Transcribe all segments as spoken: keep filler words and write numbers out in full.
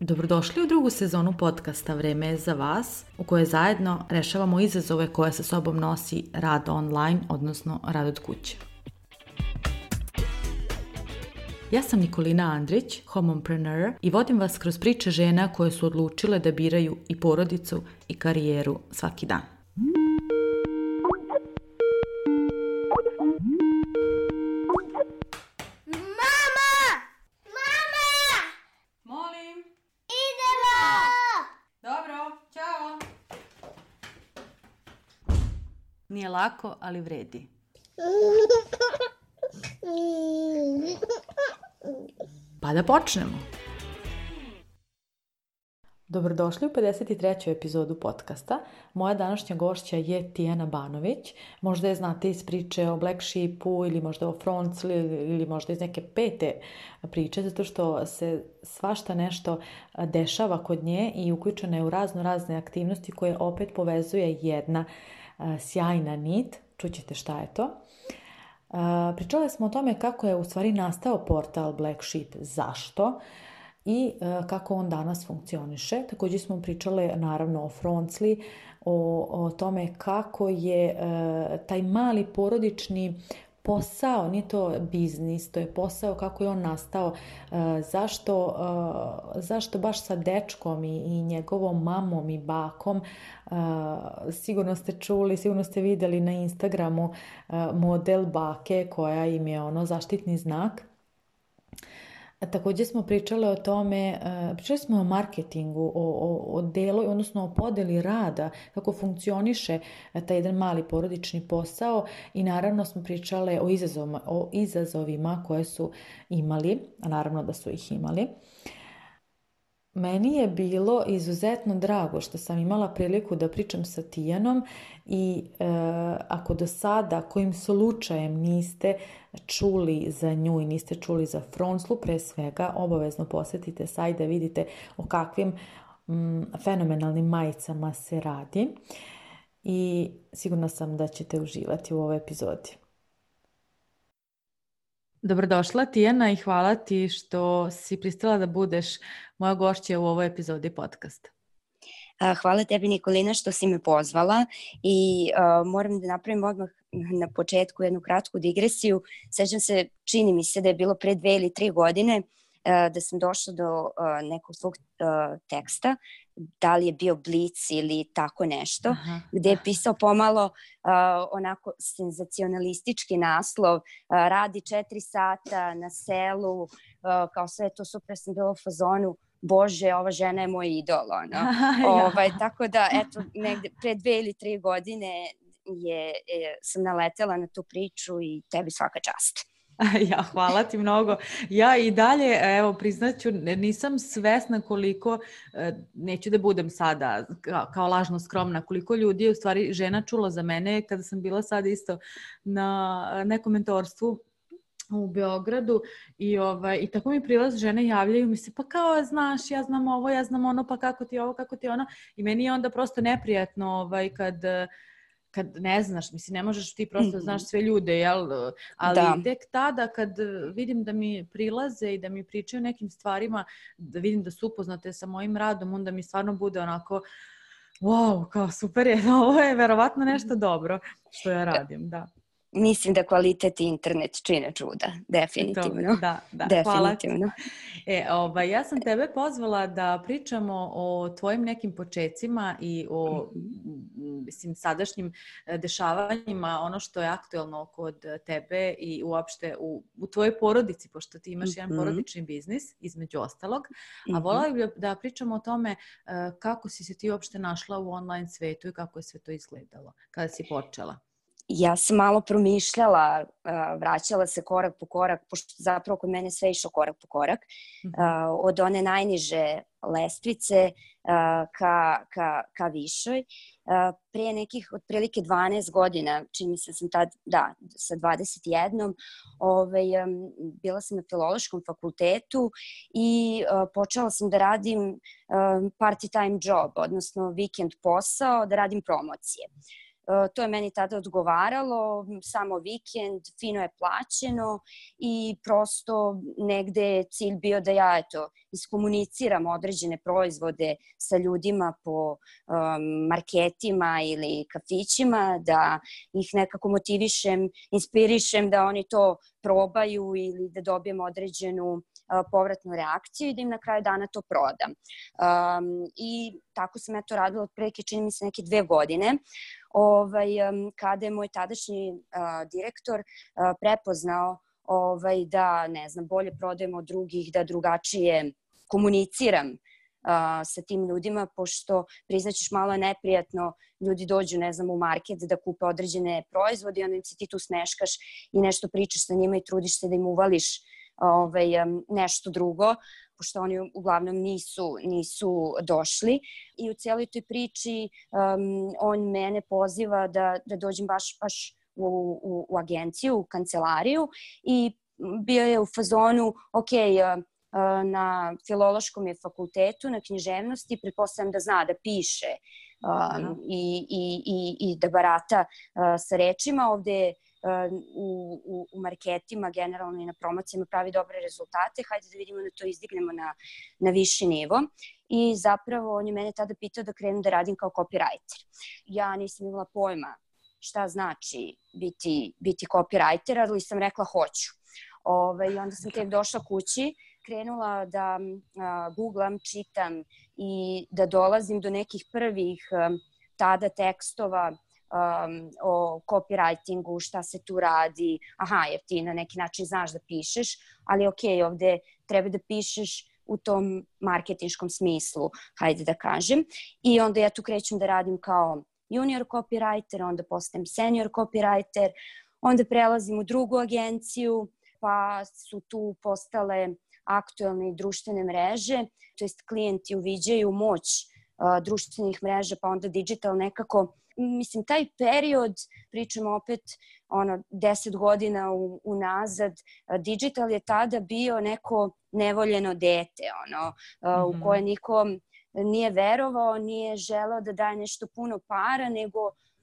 Dobrodošli u drugu sezonu podcasta Vreme je za vas, u kojoj zajedno rešavamo izazove koje sa sobom nosi rad online, odnosno rad od kuće. Ja sam Nikolina Andrić, homompreneur, i vodim vas kroz priče žena koje su odlučile da biraju i porodicu i karijeru svaki dan. Nije lako, ali vredi. Pa da počnemo. Dobrodošli u pedeset treću epizodu podcasta. Moja današnja gošća je Tijana Banović. Možda je znate iz priče o Black Sheepu ili možda o Froncli ili možda iz neke pete priče, zato što se svašta nešto dešava kod nje i uključena je u razno razne aktivnosti koje opet povezuje jedna sjajna nit. Čućete šta je to. Pričali smo o tome kako je u stvari nastao portal Black Sheep, zašto i kako on danas funkcioniše. Također smo pričali naravno o Froncli, o, o tome kako je taj mali porodični posao, nije to biznis, to je posao, kako je on nastao, zašto, zašto baš sa dečkom i, i njegovom mamom i bakom. Sigurno ste čuli, sigurno ste vidjeli na Instagramu model bake koja im je ono zaštitni znak. Također smo pričali o tome, pričali smo o marketingu, o, o, o delu, odnosno o podeli rada, kako funkcioniše taj jedan mali porodični posao i naravno smo pričali o izazovima, o izazovima koje su imali, a naravno da su ih imali. Meni je bilo izuzetno drago što sam imala priliku da pričam sa Tijanom i e, ako do sada kojim slučajem niste čuli za nju i niste čuli za Fronclu, pre svega obavezno posjetite sajt da vidite o kakvim m, fenomenalnim majicama se radi i sigurna sam da ćete uživati u ovoj epizodi. Dobrodošla Tijana i hvala ti što si pristala da budeš moja gošća u ovoj epizodi podcasta. Hvala tebi Nikolina što si me pozvala i uh, moram da napravim odmah na početku jednu kratku digresiju. Sećam se, čini mi se da je bilo pre dve ili tri godine uh, da sam došla do uh, nekog svog uh, teksta, da li je bio Blic ili tako nešto, aha, gde je pisao pomalo uh, onako senzacionalistički naslov, uh, radi četiri sata na selu, uh, kao sve to super, sam bila u fazonu, Bože, ova žena je moj idol, ono. Ja. Ovaj, tako da, eto, negde pre dve ili tri godine je, je, sam naletela na tu priču i tebi svaka čast. Ja, hvala ti mnogo. Ja i dalje, evo, priznaću, nisam svesna koliko, neću da budem sada kao lažno skromna, koliko ljudi je u stvari žena čula za mene kada sam bila sad isto na nekom mentorstvu u Beogradu i, ovaj, i tako mi prilaz žene javljaju mi se, pa kao znaš, ja znam ovo, ja znam ono, pa kako ti ovo, kako ti ono, i meni je onda prosto neprijatno ovaj, kad, kad ne znaš, mislim, ne možeš ti prosto znaš sve ljude, jel? Ali da. Tek tada kad vidim da mi prilaze i da mi pričaju nekim stvarima, da vidim da su upoznate sa mojim radom, onda mi stvarno bude onako, wow, kao super je, ovo je verovatno nešto dobro što ja radim, da. Mislim da kvalitet i internet čine čuda, definitivno. To, da, da, definitivno. E, ovaj, ja sam tebe pozvala da pričamo o tvojim nekim počecima i o mislim, sadašnjim dešavanjima, ono što je aktuelno kod tebe i uopšte u, u tvojoj porodici, pošto ti imaš mm-hmm. jedan porodični biznis, između ostalog. Mm-hmm. A voljela bih da pričamo o tome kako si se ti uopšte našla u online svetu i kako je sve to izgledalo kada si počela. Ja sam malo promišljala, vraćala se korak po korak, pošto zapravo kod mene sve išlo korak po korak, od one najniže lestvice ka, ka, ka višoj. Prije nekih otprilike dvanaest godina, čini mi se sam tad, da, sa dvadeset jedan, ovaj, bila sam na filološkom fakultetu i počela sam da radim party time job, odnosno vikend posao, da radim promocije. To je meni tada odgovaralo, samo vikend, fino je plaćeno i prosto negde je cilj bio da ja eto, iskomuniciram određene proizvode sa ljudima po um, marketima ili kafićima, da ih nekako motivišem, inspirišem da oni to probaju ili da dobijem određenu uh, povratnu reakciju i da im na kraju dana to prodam. Um, I tako sam eto radila otprilike, čini mi se, neke dve godine. Ovaj, kada je moj tadašnji uh, direktor uh, prepoznao ovaj, da, ne znam, bolje prodajem od drugih, da drugačije komuniciram uh, sa tim ljudima, pošto, priznaćeš, malo je neprijatno, ljudi dođu, ne znam, u market da kupe određene proizvode i onda im se ti tu smeškaš i nešto pričaš sa njima i trudiš se da im uvališ ovaj, nešto drugo, pošto oni uglavnom nisu, nisu došli. I u cijeloj toj priči um, on mene poziva da, da dođem baš, baš u, u, u agenciju, u kancelariju i bio je u fazonu, ok, uh, na filološkom je fakultetu, na književnosti, pretpostavljam da zna da piše um, i, i, i, i da barata uh, sa rečima. Ovde je U, u, u marketima, generalno i na promocijama pravi dobre rezultate, hajde da vidimo da to izdignemo na, na viši nivo. I zapravo on je mene tada pitao da krenem da radim kao copywriter. Ja nisam imala pojma šta znači biti, biti copywriter, ali sam rekla hoću. Ove, I onda sam tek došla kući, krenula da a, googlam, čitam i da dolazim do nekih prvih a, tada tekstova Um, o copywritingu, šta se tu radi, aha, jer ti na neki način znaš da pišeš, ali ok, ovde treba da pišeš u tom marketinškom smislu, hajde da kažem. I onda ja tu krećem da radim kao junior copywriter, onda postajem senior copywriter, onda prelazim u drugu agenciju, pa su tu postale aktuelne i društvene mreže, to jest klijenti uviđaju moć uh, društvenih mreža, pa onda digital nekako. Mislim, taj period, pričamo opet ono, deset godina u, unazad, digital je tada bio neko nevoljeno dete, ono, mm-hmm. u koje niko nije verovao, nije želeo da daje nešto puno para, nego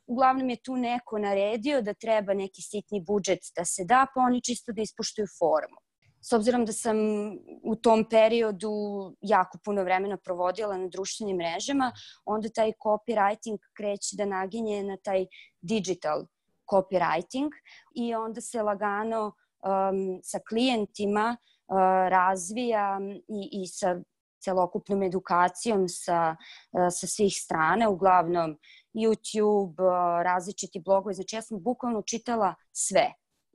uglavnom je tu neko naredio da treba neki sitni budžet da se da, pa oni čisto da ispuštuju formu. S obzirom da sam u tom periodu jako puno vremena provodila na društvenim mrežama, onda taj copywriting kreće da naginje na taj digital copywriting i onda se lagano um, sa klijentima uh, razvija i, i sa celokupnom edukacijom sa, uh, sa svih strana, uglavnom YouTube, uh, različiti blogovi. Znači ja sam bukvalno čitala sve.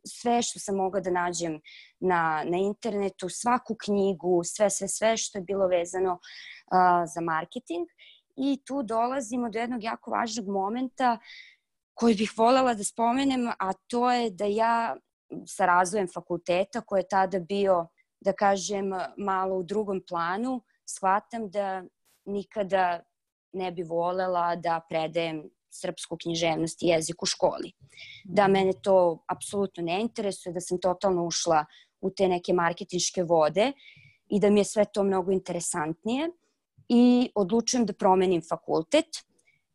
sve što sam mogla da nađem na, na internetu, svaku knjigu, sve, sve, sve što je bilo vezano uh, za marketing. I tu dolazimo do jednog jako važnog momenta koji bih voljela da spomenem, a to je da ja sa razvojem fakulteta, koji je tada bio, da kažem, malo u drugom planu, shvatam da nikada ne bi voljela da predajem srpsku književnost i jezik u školi. Da mene to apsolutno ne interesuje, da sam totalno ušla u te neke marketinške vode i da mi je sve to mnogo interesantnije i odlučujem da promenim fakultet.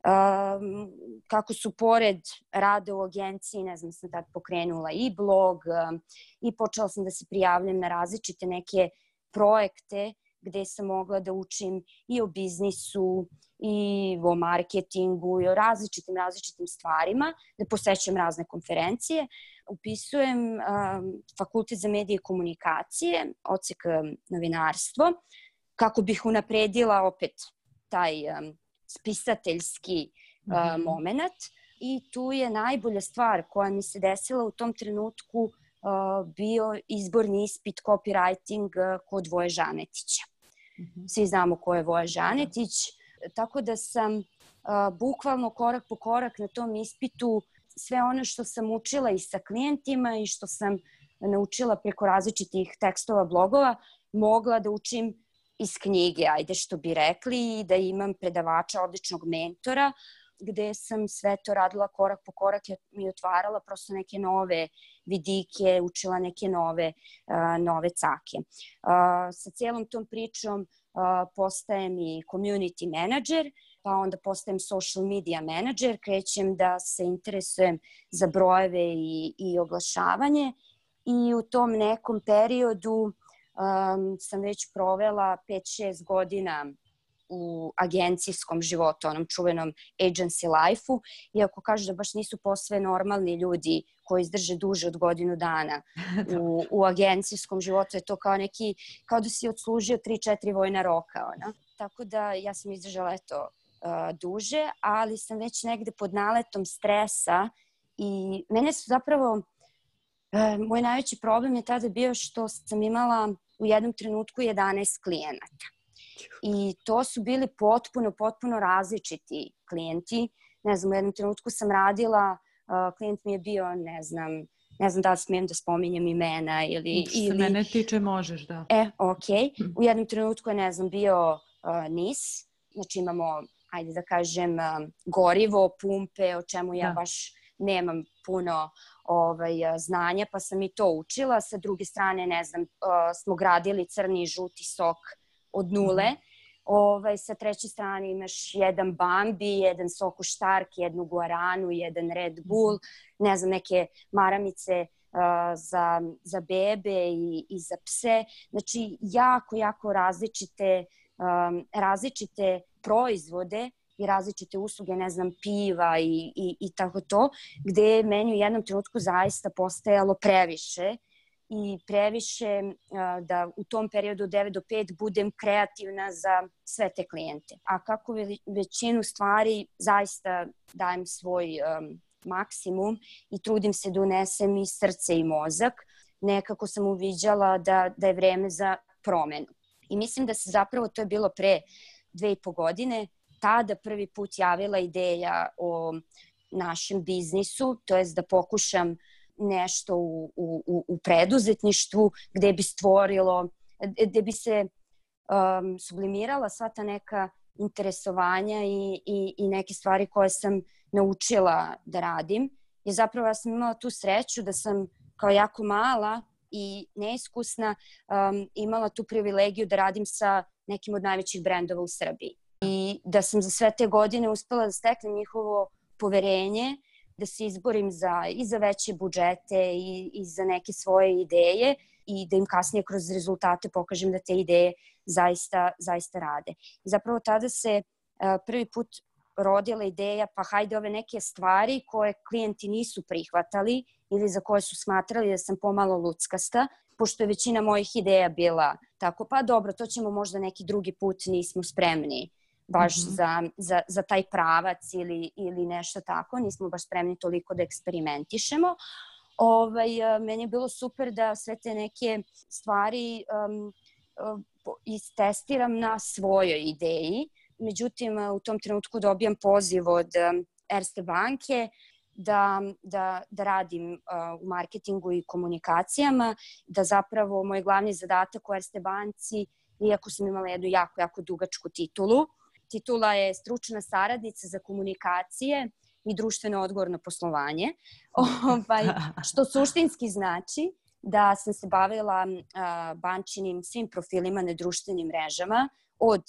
Um, kako su pored rada u agenciji, ne znam, sam tad pokrenula i blog um, i počela sam da se prijavljam na različite neke projekte gde sam mogla da učim i o biznisu, i o marketingu, i o različitim, različitim stvarima, da posećam razne konferencije. Upisujem um, fakultet za medije i komunikacije, odsek um, novinarstvo, kako bih unapredila opet taj um, spisateljski uh, mm-hmm. moment. I tu je najbolja stvar koja mi se desila u tom trenutku uh, bio izborni ispit copywriting uh, kod Voje Žanetića. Mm-hmm. Svi znamo ko je Voja Žanetić, tako da sam uh, bukvalno korak po korak na tom ispitu sve ono što sam učila i sa klijentima i što sam naučila preko različitih tekstova, blogova, mogla da učim iz knjige, ajde što bi rekli, i da imam predavača, odličnog mentora, gde sam sve to radila korak po korak i otvarala prosto neke nove vidike, učila neke nove, uh, nove cake. Uh, sa cijelom tom pričom uh, postajem i community manager, pa onda postajem social media manager, krećem da se interesujem za brojeve i, i oglašavanje i u tom nekom periodu um, sam već provela pet šest godina u agencijskom životu, onom čuvenom agency life-u, iako kažu da baš nisu posve normalni ljudi koji izdrže duže od godinu dana u, u agencijskom životu. Je to kao neki, kao da si odslužio tri četiri vojna roka. Ona. Tako da ja sam izdržala eto uh, duže, ali sam već negde pod naletom stresa i mene su zapravo, uh, moj najveći problem je tada bio što sam imala u jednom trenutku jedanaest klijenata. I to su bili potpuno, potpuno različiti klijenti. Ne znam, u jednom trenutku sam radila, uh, klijent mi je bio, ne znam, ne znam da li smijem da spominjem imena ili... Što se ili... mene tiče, možeš, da. E, okej. Okay. U jednom trenutku je, ne znam, bio uh, N I S. Znači imamo, ajde da kažem, uh, gorivo, pumpe, o čemu ja da. baš nemam puno ovaj, znanja, pa sam i to učila. Sa druge strane, ne znam, uh, smo gradili crni i žuti sok od nule. Mm. Ovaj, sa treće strane imaš jedan Bambi, jedan Soku Štark, jednu Guaranu, jedan Red Bull, ne znam, neke maramice uh, za, za bebe i, i za pse. Znači, jako, jako različite, um, različite proizvode i različite usluge, ne znam, piva i, i, i tako to, gde je meni u jednom trenutku zaista postajalo previše i previše uh, da u tom periodu od devet do pet budem kreativna za sve te klijente. A kako većinu stvari zaista dajem svoj um, maksimum i trudim se da unesem i srce i mozak, nekako sam uviđala da, da je vreme za promenu. I mislim da se zapravo, to je bilo pre dve i po godine, tada prvi put javila ideja o našem biznisu, to jest da pokušam nešto u, u, u preduzetništvu gde bi stvorilo, gde bi se um, sublimirala sva ta neka interesovanja i, i, i neke stvari koje sam naučila da radim. I zapravo ja sam imala tu sreću da sam kao jako mala i neiskusna um, imala tu privilegiju da radim sa nekim od najvećih brendova u Srbiji. I da sam za sve te godine uspela da steknem njihovo poverenje, da se izborim za, i za veće budžete i, i za neke svoje ideje i da im kasnije kroz rezultate pokažem da te ideje zaista, zaista rade. I zapravo tada se uh, prvi put rodila ideja, pa hajde ove neke stvari koje klijenti nisu prihvatali ili za koje su smatrali da sam pomalo luckasta, pošto je većina mojih ideja bila tako, pa dobro, to ćemo možda neki drugi put, nismo spremni baš mm-hmm. za, za, za taj pravac ili, ili nešto tako, nismo baš spremni toliko da eksperimentišemo. Ovaj, meni je bilo super da sve te neke stvari um, istestiram na svojoj ideji. Međutim, u tom trenutku dobijam poziv od um, Erste banke da, da, da radim uh, u marketingu i komunikacijama, da zapravo moj glavni zadatak u Erste banci, iako sam imala jednu jako, jako dugačku titulu, titula je stručna saradnica za komunikacije i društveno odgovorno poslovanje, ovaj, što suštinski znači da sam se bavila uh, bančinim svim profilima na društvenim mrežama, od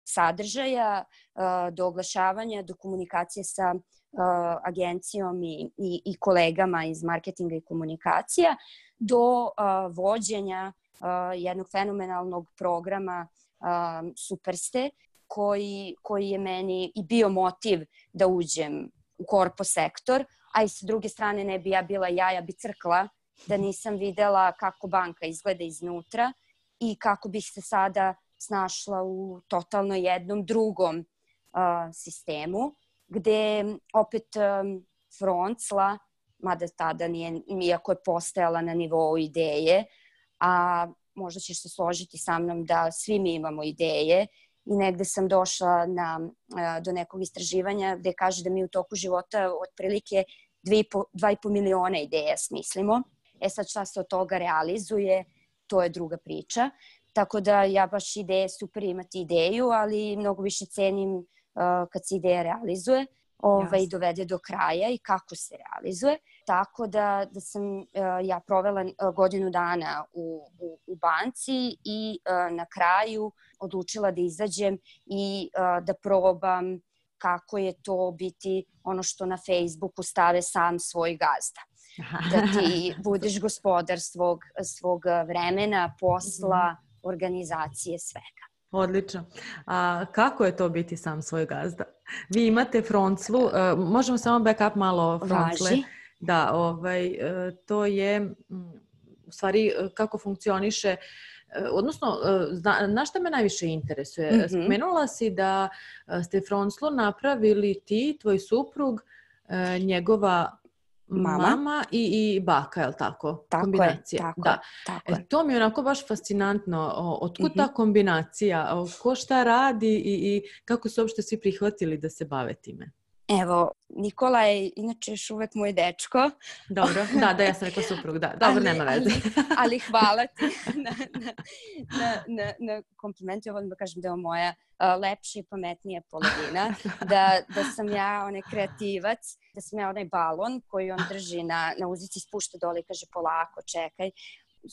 sadržaja uh, do oglašavanja, do komunikacije sa uh, agencijom i, i, i kolegama iz marketinga i komunikacija, do uh, vođenja uh, jednog fenomenalnog programa uh, Superste, koji, koji je meni i bio motiv da uđem u korpo sektor, a i sa druge strane ne bi ja bila ja, ja bi crkla da nisam videla kako banka izgleda iznutra i kako bih se sada snašla u totalno jednom drugom uh, sistemu, gde opet um, froncla, mada tada nije, iako je postajala na nivou ideje, a možda ćeš se složiti sa mnom da svi mi imamo ideje i negde sam došla na, uh, do nekog istraživanja gde kaže da mi u toku života otprilike dva i po miliona ideja smislimo. E sad šta se od toga realizuje, to je druga priča. Tako da ja baš ideje, super imati ideju, ali mnogo više cenim uh, kad se ideja realizuje ovaj, yes. dovede do kraja i kako se realizuje. Tako da, da sam uh, ja provela uh, godinu dana u, u, u banci i uh, na kraju odlučila da izađem i uh, da probam kako je to biti ono što na Facebooku stave sam svoj gazda. Da ti budeš gospodar svog, svog vremena, posla, organizacije, svega. Odlično. A kako je to biti sam svoj gazda? Vi imate Fronclu, uh, možemo samo backup malo o Froncle. Važi. Da, ovaj, uh, to je um, u stvari uh, kako funkcioniše, uh, odnosno, uh, na, na šta me najviše interesuje? Mm-hmm. Spomenula si da uh, ste Fronclu napravili ti, tvoj suprug, uh, njegova Mama, mama i, i baka, je li tako? Tako kombinacija. je, tako da. je. Tako e, to mi je onako baš fascinantno. Otkud mm-hmm. ta kombinacija? Ko šta radi i, i kako su uopšte svi prihvatili da se bave time? Evo, Nikola je inače još uvek moj dečko. Dobro, da, da, ja sam rekla suprug, da. Dobro, ali, nema veze. ali, ali hvala ti na, na, na, na, na komplimentu. Ja volim da kažem da je moja uh, lepša i pametnija polovina. Da, da sam ja onaj kreativac, da sam ja onaj balon koji on drži na, na uzici, spušta dole i kaže polako, čekaj.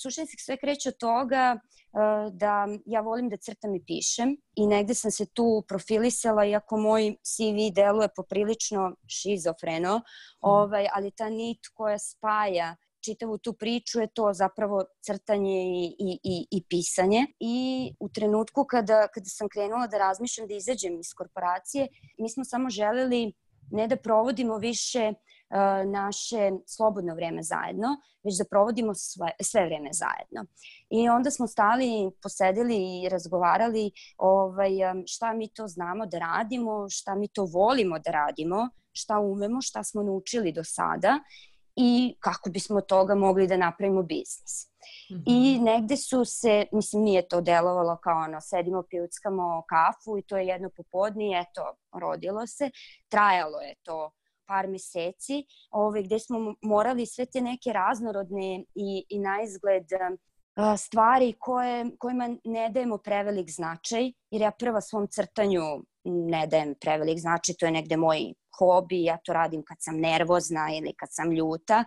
Suštinski sve kreće od toga uh, da ja volim da crtam i pišem i negde sam se tu profilisala, iako moj C V deluje poprilično šizofreno, mm. ovaj, ali ta nit koja spaja čitavu tu priču je to zapravo crtanje i, i, i, i pisanje. I u trenutku kada, kada sam krenula da razmišljam da izađem iz korporacije, mi smo samo želeli ne da provodimo više uh, naše slobodno vreme zajedno, već da provodimo sve, sve vreme zajedno. I onda smo stali, posedili i razgovarali ovaj, šta mi to znamo da radimo, šta mi to volimo da radimo, šta umemo, šta smo naučili do sada i kako bismo od toga mogli da napravimo biznis. Mm-hmm. I negde su se, mislim, nije to delovalo kao ono, sedimo, pijuckamo kafu i to je jedno popodne i eto, rodilo se. Trajalo je to par meseci, ovaj, gde smo morali sve te neke raznorodne i, i na izgled uh, stvari koje, kojima ne dajemo prevelik značaj, jer ja prva svom crtanju ne dajem prevelik značaj, to je negde moj hobi, ja to radim kad sam nervozna ili kad sam ljuta,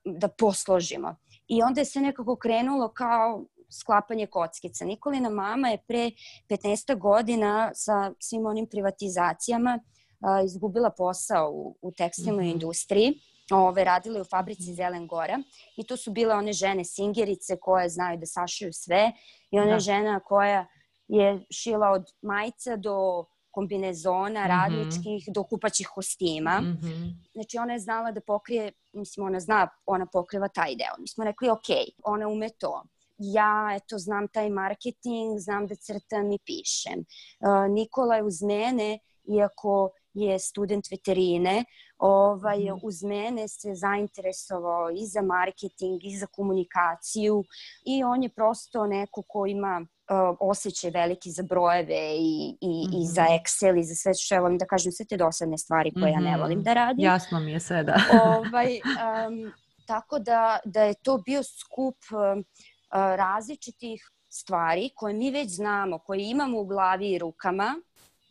da posložimo. I onda je sve nekako krenulo kao sklapanje kockica. Nikolina mama je pre petnaest godina sa svim onim privatizacijama uh, izgubila posao u, u tekstilnoj mm-hmm. industriji. Ove, radila je u fabrici Zelen Gora i to su bile one žene singerice koje znaju da sašiju sve i ona da. žena koja je šila od majica do kombinezona, mm-hmm. radničkih, do kupaćih kostima. Mm-hmm. Znači, ona je znala da pokrije, mislim, ona zna, ona pokriva taj deo. Mi smo rekli, ok, ona ume to. Ja, eto, znam taj marketing, znam da crtam i pišem. Uh, Nikola je uz mene, iako je student veterine, ovaj, mm-hmm. uz mene se zainteresovao i za marketing, i za komunikaciju i on je prosto neko ko ima Uh, osjećaj veliki za brojeve i, i, mm-hmm. i za Excel i za sve što ja volim da kažem, sve te dosadne stvari koje mm-hmm. ja ne volim da radim. Jasno mi je sve, da. ovaj, um, tako da, da je to bio skup uh, uh, različitih stvari koje mi već znamo, koje imamo u glavi i rukama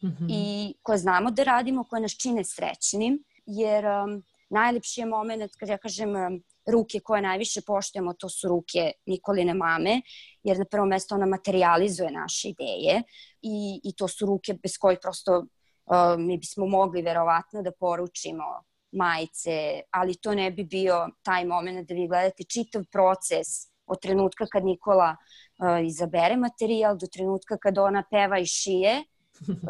mm-hmm. i koje znamo da radimo, koje nas čine srećnim, jer um, najlepši je moment kad ja kažem um, ruke koje najviše poštujemo, to su ruke Nikoline mame, jer na prvo mesto ona materializuje naše ideje i, i to su ruke bez kojih prosto uh, mi bismo mogli verovatno da poručimo majice, ali to ne bi bio taj moment da vi gledate čitav proces od trenutka kad Nikola uh, izabere materijal, do trenutka kad ona peva i šije,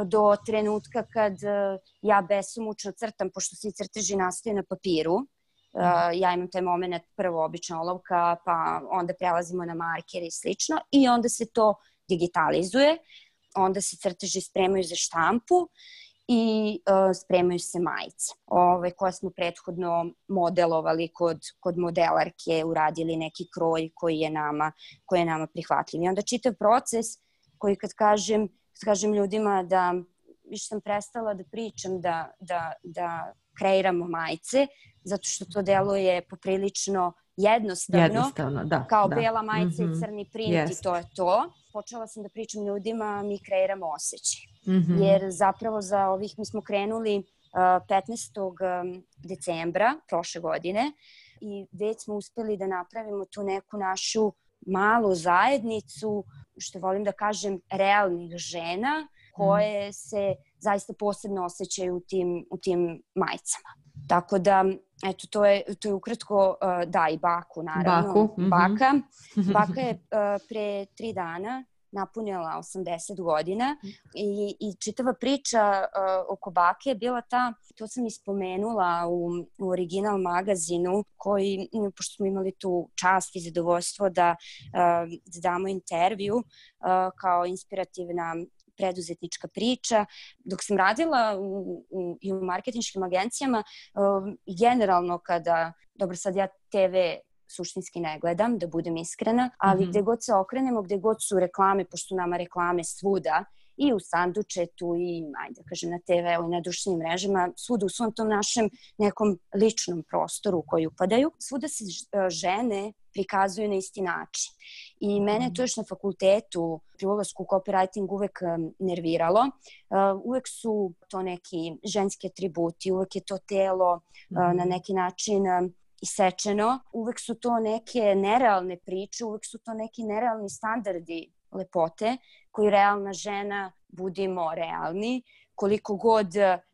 do trenutka kad uh, ja besomučno crtam, pošto svi crteži nastaju na papiru. Uh, ja imam taj moment prvo obična olovka, pa onda prelazimo na marker i slično i onda se to digitalizuje, onda se crteži spremaju za štampu i uh, spremaju se majice ove, koje smo prethodno modelovali kod, kod modelarke, uradili neki kroj koji je nama, koji je nama prihvatljiv. I onda čitav proces koji kad kažem, kad kažem ljudima da više sam prestala da pričam da, da, da kreiramo majice, zato što to deluje poprilično jednostavno, jednostavno da, kao da. bela majica mm-hmm. i crni print Jest. I to je to. Počela sam da pričam ljudima, mi kreiramo osjećaj. Mm-hmm. Jer zapravo za ovih, mi smo krenuli uh, petnaestog decembra prošle godine i već smo uspeli da napravimo tu neku našu malu zajednicu, što volim da kažem, realnih žena koje se zaista posebno osjećaju u tim, u tim majicama. Tako da, eto, to je, to je ukratko, da, i baku, naravno. Baku. Mm-hmm. Baka. Baka je pre tri dana napunila osamdeset godina i, i čitava priča uh, oko bake je bila ta, to sam ispomenula u, u Original magazinu, koji, pošto smo imali tu čast i zadovoljstvo da, uh, da damo intervju uh, kao inspirativna preduzetnička priča. Dok sam radila u, u, i u marketinškim agencijama, uh, generalno kada, dobro sad ja te ve suštinski ne gledam, da budem iskrena, ali mm-hmm. gde god se okrenemo, gde god su reklame, pošto nama reklame svuda, i u sandučetu, i ajde da kažem na te veu i na društvenim mrežama, svuda u svom tom našem nekom ličnom prostoru u koji upadaju, svuda se žene prikazuju na isti način. I mene to još na fakultetu pri ulasku u copywriting uvek nerviralo. Uh, uvek su to neki ženski atributi, uvek je to telo uh, na neki način isečeno, uvek su to neke nerealne priče, uvek su to neki nerealni standardi lepote koji realna žena, budimo realni, koliko god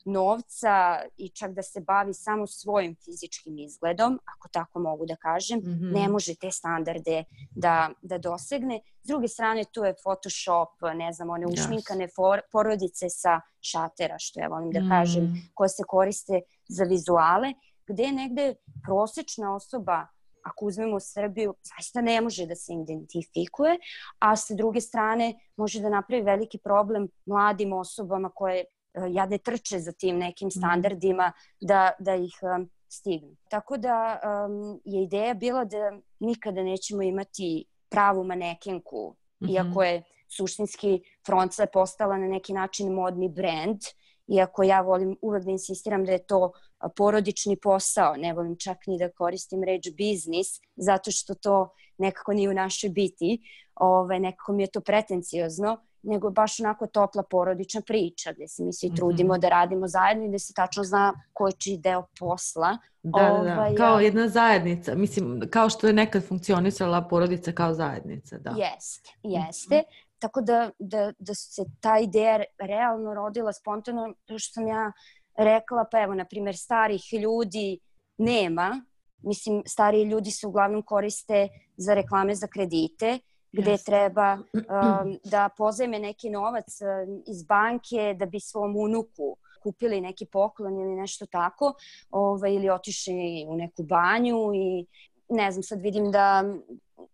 novca i čak da se bavi samo svojim fizičkim izgledom, ako tako mogu da kažem, mm-hmm. ne može te standarde da, da dosegne. S druge strane, tu je Photoshop, ne znam, one ušminkane for, porodice sa šatera, što ja volim da kažem, mm. koje se koriste za vizuale, gde je negde prosečna osoba, ako uzmemo Srbiju, zaista ne može da se identifikuje, a sa druge strane može da napravi veliki problem mladim osobama koje jadne trče za tim nekim standardima da, da ih um, stignu. Tako da um, je ideja bila da nikada nećemo imati pravu manekenku, mm-hmm. iako je suštinski Froncle postala na neki način modni brend, iako ja volim uvek da insistiram da je to porodični posao, ne volim čak ni da koristim reč biznis, zato što to nekako nije u našoj biti, Ove, nekako mi je to pretenciozno, nego baš onako topla porodična priča, gde se mi svi trudimo mm-hmm. da radimo zajedno i gde se tačno zna ko je čiji deo posla. Da, da, da. Kao jedna zajednica, mislim, kao što je nekad funkcionisala porodica kao zajednica. Da. Jeste, jeste. Mm-hmm. Tako da, da, da se ta ideja realno rodila spontano, što sam ja rekla, pa evo, na primjer, starih ljudi nema. Mislim, stariji ljudi se uglavnom koriste za reklame za kredite, gde yes. treba um, da pozajme neki novac um, iz banke da bi svom unuku kupili neki poklon ili nešto tako, ovaj, ili otišli u neku banju i ne znam, sad vidim da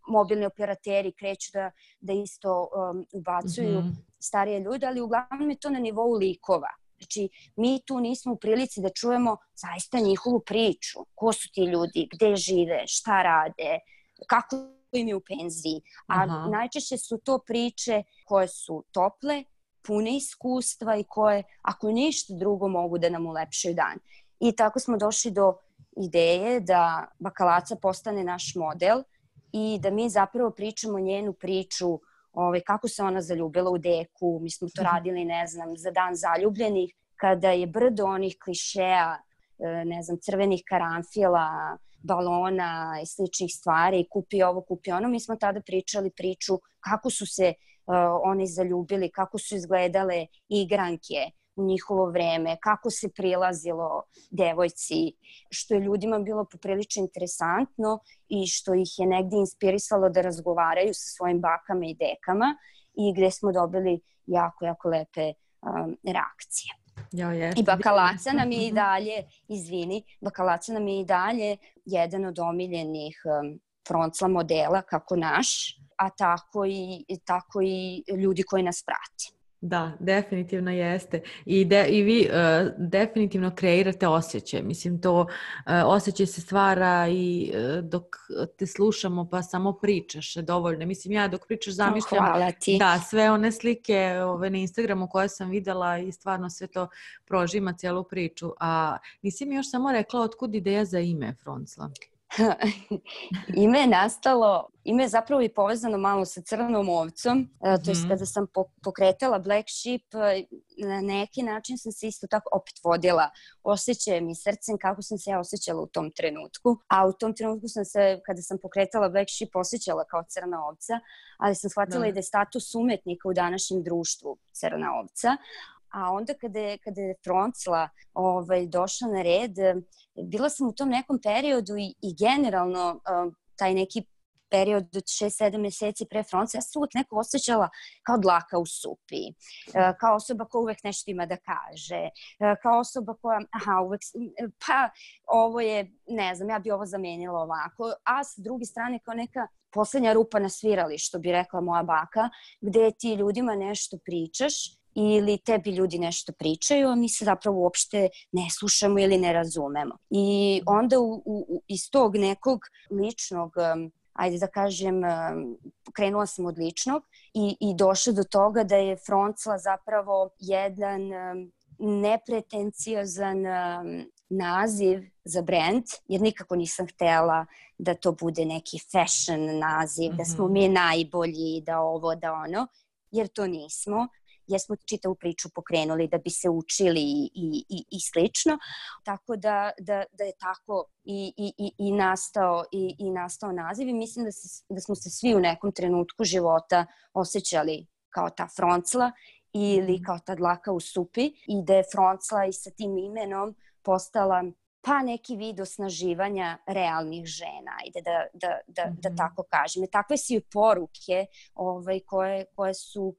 mobilni operateri kreću da, da isto um, ubacuju mm-hmm. starije ljude, ali uglavnom je to na nivou likova. Znači, mi tu nismo u prilici da čujemo zaista njihovu priču. Ko su ti ljudi, gde žive, šta rade, kako im je u penziji. A Aha. najčešće su to priče koje su tople, pune iskustva i koje, ako ništa drugo, mogu da nam ulepšaju dan. I tako smo došli do ideje da Bakalaca postane naš model i da mi zapravo pričamo njenu priču, ovaj, kako se ona zaljubila u deku. Mi smo to radili, ne znam, za dan zaljubljenih, kada je brdo onih klišeja, ne znam, crvenih karanfila, balona i sličnih stvari, kupi ovo, kupi ono. Mi smo tada pričali priču kako su se uh, oni zaljubili, kako su izgledale igranke u njihovo vreme, kako se prilazilo devojci, što je ljudima bilo poprilično interesantno i što ih je negdje inspirisalo da razgovaraju sa svojim bakama i dekama i gde smo dobili jako, jako lepe um, reakcije. Ja, I Bakalaca nam je i dalje, izvini, Bakalaca nam je i dalje jedan od omiljenih um, Froncla modela kako naš, a tako i, tako i ljudi koji nas prati. Da, definitivno jeste. I, de, i vi uh, definitivno kreirate osjećaj. Mislim, to uh, osjećaj se stvara i uh, dok te slušamo pa samo pričaš dovoljno. Mislim, ja dok pričaš zamišljam oh, da, sve one slike ove, na Instagramu koje sam videla i stvarno sve to prožima cijelu priču. A nisi mi još samo rekla otkud ideja za ime Froncla? Ime je nastalo, ime je zapravo i povezano malo sa Crnom ovcom, mm-hmm. to je kada sam pokretala Black Sheep, na neki način sam se isto tako opet vodila osjećajem i srcem kako sam se ja osjećala u tom trenutku, a u tom trenutku sam se, kada sam pokretala Black Sheep, osjećala kao crna ovca, ali sam shvatila da. i da je status umetnika u današnjem društvu crna ovca. A onda kada je, kada je Froncla ovaj, došla na red, bila sam u tom nekom periodu i, i generalno uh, taj neki period od šest sedam meseci pre Froncle, ja sam uvek neko osjećala kao dlaka u supi, uh, kao osoba koja uvek nešto ima da kaže, uh, kao osoba koja, aha, uvek, pa ovo je, ne znam, ja bi ovo zamenila ovako, a s druge strane kao neka poslednja rupa na svirali, što bi rekla moja baka, gde ti ljudima nešto pričaš ili tebi ljudi nešto pričaju, a mi se zapravo uopšte ne slušamo ili ne razumemo. I onda u, u, iz tog nekog ličnog, um, ajde da kažem, um, krenula sam od ličnog i, i došla do toga da je Froncla zapravo jedan um, nepretenciozan um, naziv za brand, jer nikako nisam htela da to bude neki fashion naziv, mm-hmm. da smo mi najbolji, da ovo, da ono, jer to nismo. Jer smo čitavu priču pokrenuli da bi se učili i, i, i slično. Tako da, da, da je tako i, i, i, nastao, i, i nastao naziv i mislim da, se, da smo se svi u nekom trenutku života osjećali kao ta Froncla ili kao ta dlaka u supi i da je Froncla i sa tim imenom postala pa neki vid osnaživanja realnih žena, ajde da, da, da, mm-hmm. da tako kažem. I takve su i poruke ovaj, koje, koje su uh,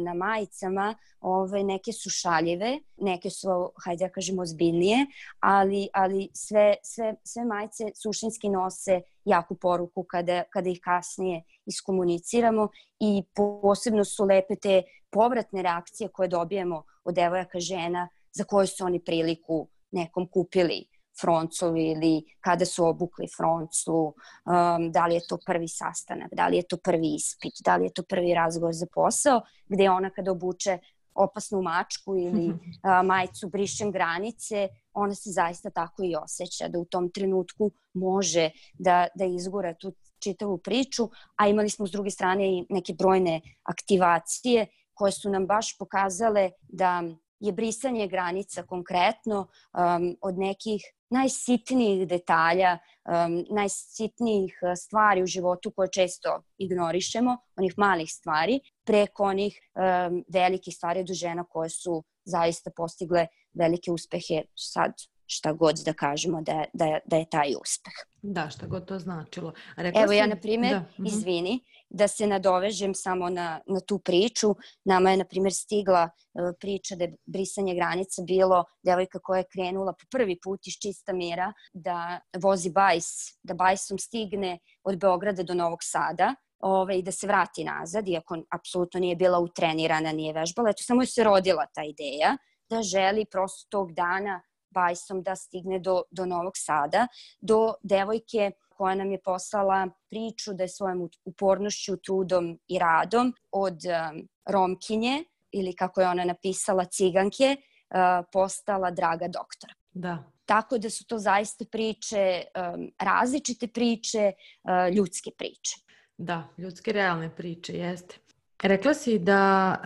na majicama, ovaj, neke su šaljive, neke su, hajde da kažem, ozbiljnije, ali, ali sve, sve, sve majice suštinski nose jaku poruku kada, kada ih kasnije iskomuniciramo i posebno su lepe te povratne reakcije koje dobijemo od devojaka žena za koje su oni priliku nekom kupili Fronclu ili kada su obukli Fronclu, um, da li je to prvi sastanak, da li je to prvi ispit, da li je to prvi razgovor za posao, gde ona kada obuče opasnu mačku ili uh, majicu brišem granice, ona se zaista tako i osjeća, da u tom trenutku može da, da izgura tu čitavu priču, a imali smo s druge strane i neke brojne aktivacije koje su nam baš pokazale da je brisanje granica konkretno um, od nekih najsitnijih detalja, um, najsitnijih stvari u životu koje često ignorišemo, onih malih stvari, preko onih um, velikih stvari do žena koje su zaista postigle velike uspehe, sad šta god da kažemo da, da, da je taj uspeh. Da, šta god to značilo. Rekla Evo si... ja, na primjer, da. izvini, da se nadovežem samo na, na tu priču. Nama je, na primjer, stigla uh, priča da je brisanje granica bilo devojka koja je krenula po prvi put iz čista mira da vozi bajs, da bajsom stigne od Beograda do Novog Sada ove, i da se vrati nazad, iako apsolutno nije bila utrenirana, nije vežbala. Eto, samo je se rodila ta ideja da želi prosto tog dana bajsom da stigne do, do Novog Sada, do devojke koja nam je poslala priču da je svojom upornošću, trudom i radom od um, Romkinje, ili kako je ona napisala, ciganke, uh, postala draga doktor. Da. Tako da su to zaista priče, um, različite priče, uh, ljudske priče. Da, ljudske realne priče, jeste. Rekla si da...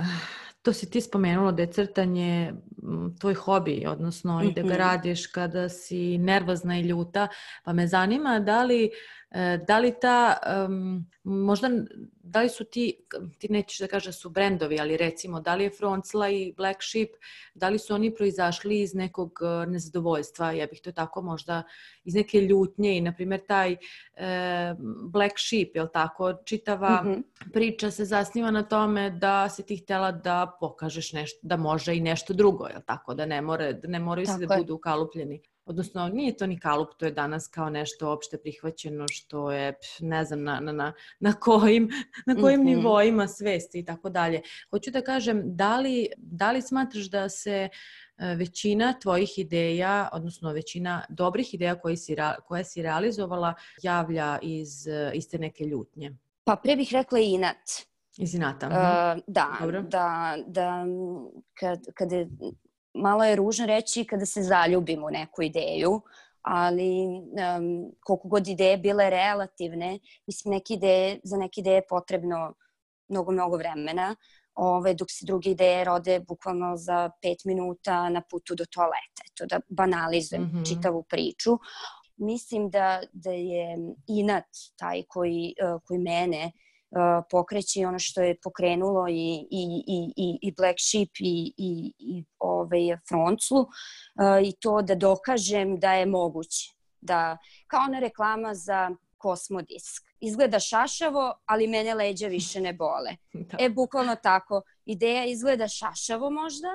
To si ti spomenula da je crtanje tvoj hobi, odnosno mm-hmm. i da ga radiš kada si nervozna i ljuta, pa me zanima da li, da li ta, um, možda, da li su ti, ti nećeš da kažeš su brendovi, ali recimo, da li je Froncla i Black Sheep, da li su oni proizašli iz nekog nezadovoljstva, ja bih to tako možda, iz neke ljutnje i, na primjer, taj e, Black Sheep, je li tako, čitava mm-hmm. priča se zasniva na tome da si ti htjela da pokažeš nešto, da može i nešto drugo, je li tako, da ne, more, da ne moraju se da budu ukalupljeni. Odnosno, nije to ni kalup, to je danas kao nešto opšte prihvaćeno što je, ne znam, na, na, na kojim, na kojim mm-hmm. nivoima svesti i tako dalje. Hoću da kažem, da li, da li smatraš da se većina tvojih ideja, odnosno većina dobrih ideja koje si, koje si realizovala javlja iz, iz te neke ljutnje? Pa pre bih rekla inat. Iz inata. Uh, da, Dobro. da, da, kad, kad je... Malo je ružno reći kada se zaljubim u neku ideju, ali um, koliko god ideje bile relativne, mislim, neke ideje, za neke ideje je potrebno mnogo, mnogo vremena, ove, dok se druge ideje rode bukvalno za pet minuta na putu do toaleta. Eto, da banalizujem mm-hmm. čitavu priču. Mislim da, da je inat taj koji, uh, koji mene uh, pokreće i ono što je pokrenulo i, i, i, i, i Black Sheep i, i, i ovaj, Fronclu uh, i to da dokažem da je moguće. Da, kao ona reklama za Kosmodisk. Izgleda šašavo, ali mene leđa više ne bole. Da. E, bukvalno tako. Ideja izgleda šašavo možda,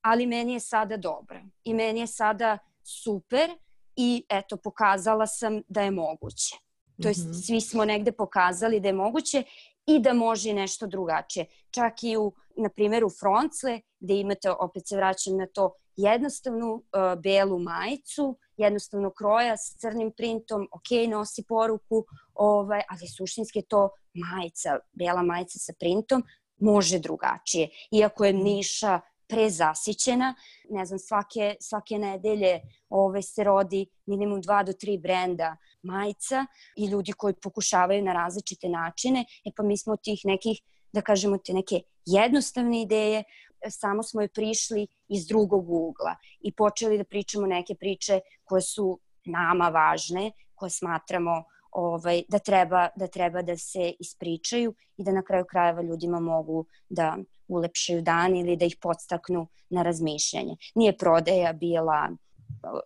ali meni je sada dobra. I meni je sada super i eto, pokazala sam da je moguće. To jest, mm-hmm. svi smo negde pokazali da je moguće i da može i nešto drugačije. Čak i u, na primjer, u Froncle, gde imate, opet se vraćam na to, jednostavnu uh, belu majicu, jednostavno kroja s crnim printom, ok, nosi poruku, ovaj, ali suštinski je to majica, bela majica sa printom, može drugačije. Iako je niša prezasićena, ne znam, svake, svake nedelje ove, se rodi minimum dva do tri brenda majica i ljudi koji pokušavaju na različite načine, e pa mi smo od tih nekih, da kažemo, te neke jednostavne ideje, samo smo je prišli iz drugog ugla i počeli da pričamo neke priče koje su nama važne, koje smatramo ovaj, da, treba, da treba da se ispričaju i da na kraju krajeva ljudima mogu da ulepšaju dan ili da ih podstaknu na razmišljanje. Nije prodaja bila,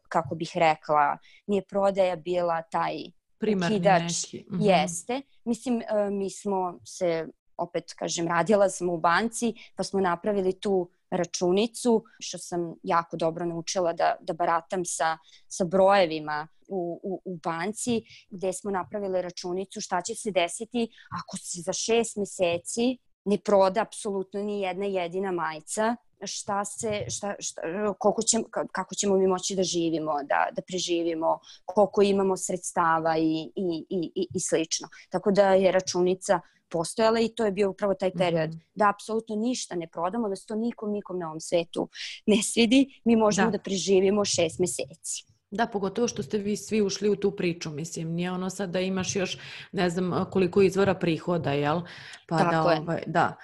kako bih rekla, nije prodaja bila taj primarni ukidač. Neki. Mm-hmm. Jeste. Mislim, mi smo se, opet kažem, radila sam u banci, pa smo napravili tu računicu, što sam jako dobro naučila da, da baratam sa, sa brojevima u, u, u banci, gde smo napravili računicu šta će se desiti ako se za šest meseci ne proda apsolutno ni jedna jedina majica, šta se, šta, šta, koliko ćemo, kako ćemo mi moći da živimo, da, da preživimo, koliko imamo sredstava i, i, i, i slično. Tako da je računica postojala i to je bio upravo taj period mm-hmm. da apsolutno ništa ne prodamo, da se to nikom, nikom na ovom svetu ne svidi, mi možemo da, da preživimo šest meseci. Da, pogotovo što ste vi svi ušli u tu priču, mislim, nije ono sad da imaš još ne znam koliko izvora prihoda, jel? Pa Tako da, je. Ovaj, da,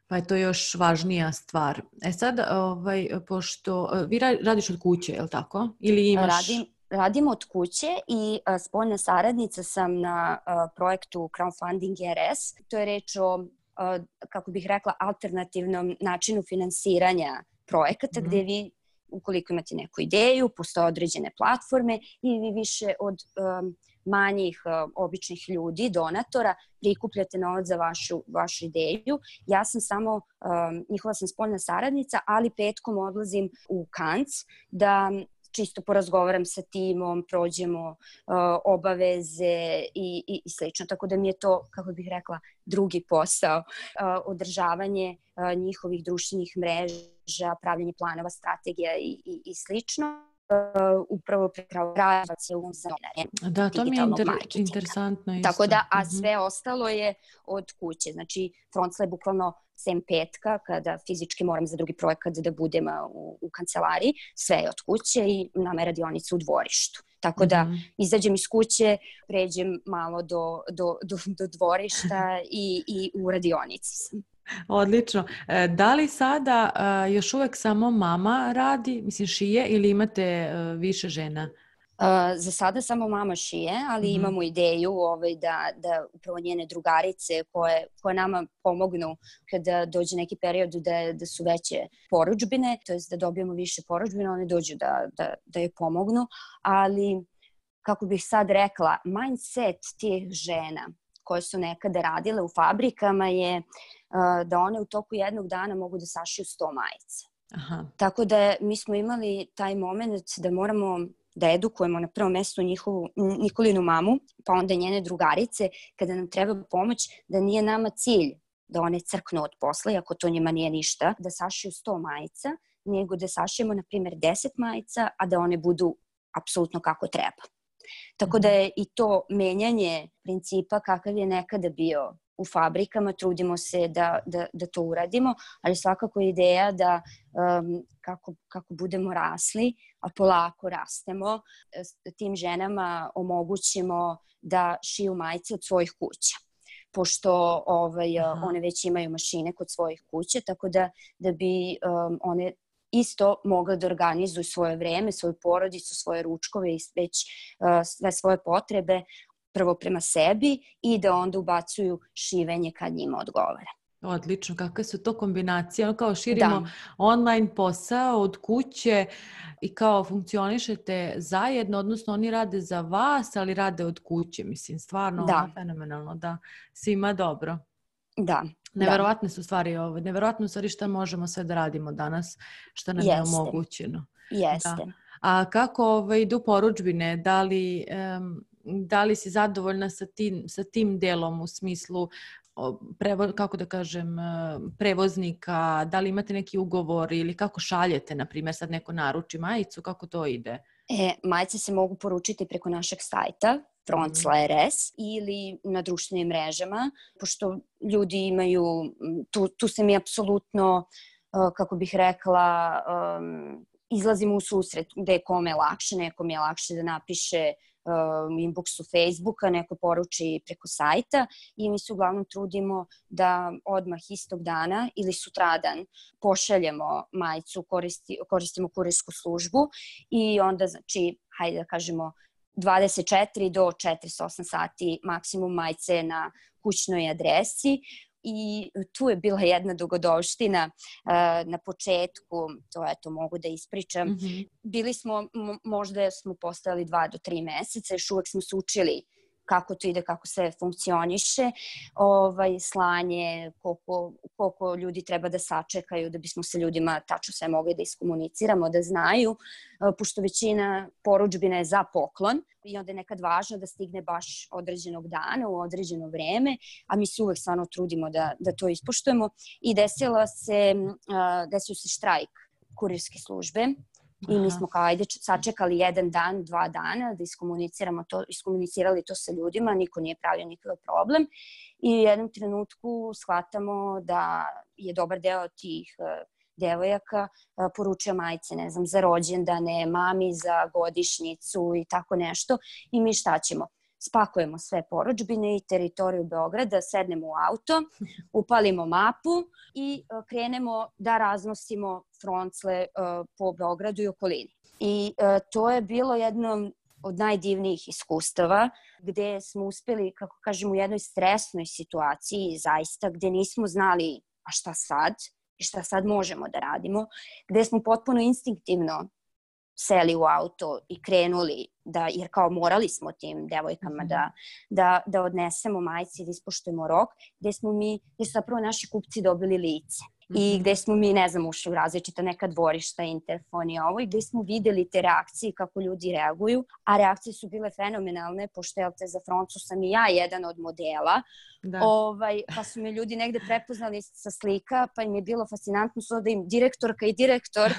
pa je to još važnija stvar. E sad, ovaj, pošto vi radiš od kuće, jel tako? Ili imaš... Radim, radim od kuće i a, spoljna saradnica sam na a, projektu Crowdfunding R S. To je reč o, a, kako bih rekla, alternativnom načinu finansiranja projekata, mm-hmm. gde vi, ukoliko imate neku ideju, postoje određene platforme i vi više od um, manjih uh, običnih ljudi, donatora, prikupljate novac za vašu, vašu ideju. Ja sam samo, um, njihova sam spoljna saradnica, ali petkom odlazim u Kanc da čisto porazgovaram sa timom, prođemo uh, obaveze i, i, i slično. Tako da mi je to, kako bih rekla, drugi posao. Uh, održavanje uh, njihovih društvenih mreža, pravljanje planova, strategija i, i, i slično. Uh, upravo prekravajuća se u zonare. Da, to mi je inter, interesantno isto. Tako da, a sve ostalo je od kuće. Znači, Froncla je bukvalno sem petka, kada fizički moram za drugi projekat da budem u, u kancelariji, sve je od kuće i nama je radionica u dvorištu. Tako da mm-hmm. izađem iz kuće, pređem malo do, do, do, do dvorišta i, i u radionici sam. Odlično. Da li sada uh, još uvek samo mama radi, mislim šije, ili imate uh, više žena? Uh, za sada samo mama šije, ali mm-hmm. imamo ideju ovaj, da, da upravo njene drugarice koje, koje nama pomognu kada dođe neki period da, da su veće porudžbine, to je da dobijemo više porudžbine, one dođu da, da, da je pomognu, ali kako bih sad rekla, mindset tih žena koje su nekada radile u fabrikama je uh, da one u toku jednog dana mogu da sašiju sto majica. Aha. Tako da mi smo imali taj moment da moramo da edukujemo na prvom mjestu njihovu, Nikolinu mamu, pa onda njene drugarice, kada nam treba pomoć, da nije nama cilj da one crknu od posla, iako to njima nije ništa, da sašiju sto majica, nego da sašijemo, na primjer, deset majica, a da one budu apsolutno kako treba. Tako da je i to menjanje principa kakav je nekada bio u fabrikama, trudimo se da, da, da to uradimo, ali svakako je ideja da um, kako, kako budemo rasli, a polako rastemo, tim ženama omogućimo da šiju majice od svojih kuća. Pošto ovaj, one već imaju mašine kod svojih kuća, tako da, da bi um, one isto mogle da organizuju svoje vreme, svoju porodicu, svoje ručkove i već uh, sve svoje potrebe prvo prema sebi i da onda ubacuju šivenje kad njima odgovara. Odlično, kakve su to kombinacije, ono kao širimo Da. online posao od kuće i kao funkcionišete zajedno, odnosno oni rade za vas, ali rade od kuće, mislim, stvarno Da. ono, fenomenalno, da, svima dobro. Da. Neverovatne su stvari ovo, neverovatno stvari šta možemo sve da radimo danas, šta nam je Jeste. omogućeno. Jeste. Da. A kako ovaj, idu porudžbine, da li, um, da li si zadovoljna sa tim, sa tim delom u smislu Prevo, kako da kažem, prevoznika, da li imate neki ugovor ili kako šaljete, na primjer, sad neko naruči majicu, kako to ide? E, majice se mogu poručiti preko našeg sajta Frontsla.rs ili na društvenim mrežama, pošto ljudi imaju, tu, tu se mi apsolutno, kako bih rekla, um, izlazimo u susret gde je kome lakše, nekom je lakše da napiše u inboxu Facebooka, neko poruči preko sajta i mi se uglavnom trudimo da odmah istog dana ili sutradan pošaljemo majicu, koristi, koristimo kurirsku službu i onda, znači, hajde da kažemo, dvadeset četiri do četrdeset osam sati maksimum majice na kućnoj adresi. I tu je bila jedna dogodovština uh, na početku, to eto mogu da ispričam. Mm-hmm. Bili smo, m- možda smo postojali dva do tri meseca, još uvek smo se učili kako to ide, kako sve funkcioniše, ovaj, slanje, koliko, koliko ljudi treba da sačekaju da bismo sa ljudima tačno sve mogli da iskomuniciramo, da znaju, pošto većina porudžbina je za poklon i onda je nekad važno da stigne baš određenog dana u određeno vreme, a mi se uvek stvarno trudimo da, da to ispoštujemo. I desila se, desio se štrajk kurirske službe. I mi smo kao, ajde, sačekali jedan dan, dva dana da iskomuniciramo to, iskomunicirali to sa ljudima, niko nije pravio nikakav problem. I u jednom trenutku shvatamo da je dobar deo tih devojaka poručio majice, ne znam, za rođendane, mami za godišnjicu i tako nešto. I mi šta ćemo? Spakujemo sve porudžbine i teritoriju Beograda, sednemo u auto, upalimo mapu i krenemo da raznosimo froncle po Beogradu i okolini. I to je bilo jedno od najdivnijih iskustava gde smo uspeli, kako kažem, u jednoj stresnoj situaciji, zaista, gde nismo znali a šta sad i šta sad možemo da radimo, gde smo potpuno instinktivno seli u auto i krenuli, da, jer kao morali smo tim devojkama da, da, da odnesemo majice i da ispoštujemo rok, gde smo mi, gde su zapravo naši kupci dobili lice. I gde smo mi, ne znam, ušli u različita neka dvorišta, Interfon i ovo, i gde smo videli te reakcije, kako ljudi reaguju, a reakcije su bile fenomenalne, pošto je za Frontsu sam i ja jedan od modela, ovaj, pa su me ljudi negde prepoznali sa slika, pa im je bilo fascinantno so da im direktorka i direktor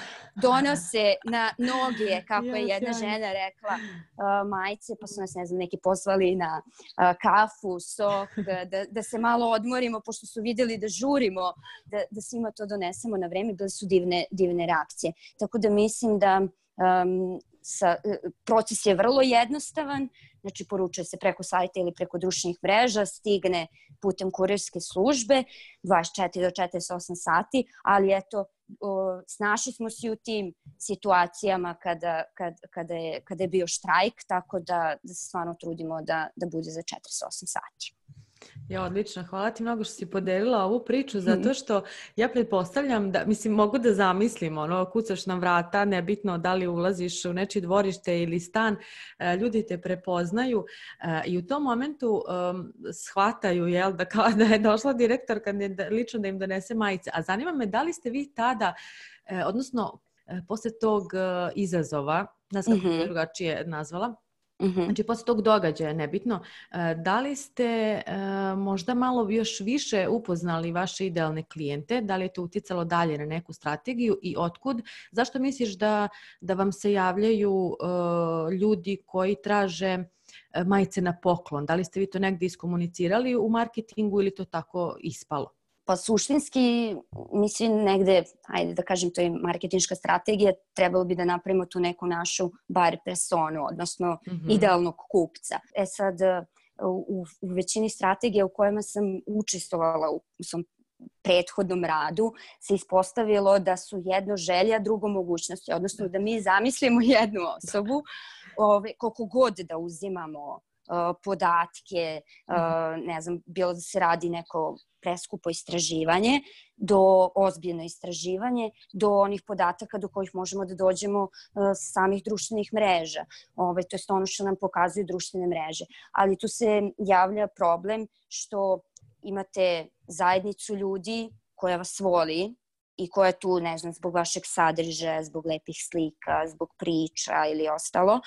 donose na noge, kako je jedna žena rekla, uh, majice, pa su nas, ne znam, neki pozvali na uh, kafu, sok, da, da se malo odmorimo, pošto su videli da žurimo, da, da se ima to donesemo na vreme, bile su divne, divne reakcije. Tako da mislim da um, sa, proces je vrlo jednostavan, znači poručuje se preko sajta ili preko društvenih mreža, stigne putem kurirske službe, dvadeset četiri do četrdeset osam sati, ali eto, o, snašli smo se u tim situacijama kada, kad, kada, je, kada je bio štrajk, tako da, da se stvarno trudimo da, da bude za četrdeset osam sati. Ja, odlično. Hvala ti mnogo što si podelila ovu priču, zato što ja pretpostavljam da, mislim, mogu da zamislim, ono, kucaš na vrata, nebitno da li ulaziš u nečije dvorište ili stan, ljudi te prepoznaju i u tom momentu um, shvataju, jel, da, kao da je došla direktorka da, lično da im donese majice. A zanima me da li ste vi tada, eh, odnosno eh, posle tog eh, izazova, nas kako mm-hmm. drugačije nazvala, Mm-hmm. Znači, posle tog događaja, nebitno, da li ste uh, možda malo još više upoznali vaše idealne klijente, da li je to uticalo dalje na neku strategiju i otkud? Zašto misliš da, da vam se javljaju uh, ljudi koji traže majice na poklon? Da li ste vi to negdje iskomunicirali u marketingu ili to tako ispalo? Pa suštinski, mislim, negde, ajde da kažem, to je marketinška strategija, trebalo bi da napravimo tu neku našu bar personu, odnosno mm-hmm. idealnog kupca. E sad, u, u većini strategija u kojima sam učestvovala u, u svom prethodnom radu se ispostavilo da su jedno želja, drugo mogućnosti, odnosno da mi zamislimo jednu osobu, ove, koliko god da uzimamo uh, podatke, uh, ne znam, bilo da se radi neko preskupo istraživanje, do ozbiljno istraživanje, do onih podataka do kojih možemo da dođemo uh, sa samih društvenih mreža. Ovaj, to je ono što nam pokazuju društvene mreže. Ali tu se javlja problem što imate zajednicu ljudi koja vas voli i koja je tu, ne znam, zbog vašeg sadržaja, zbog lepih slika, zbog priča ili ostalo.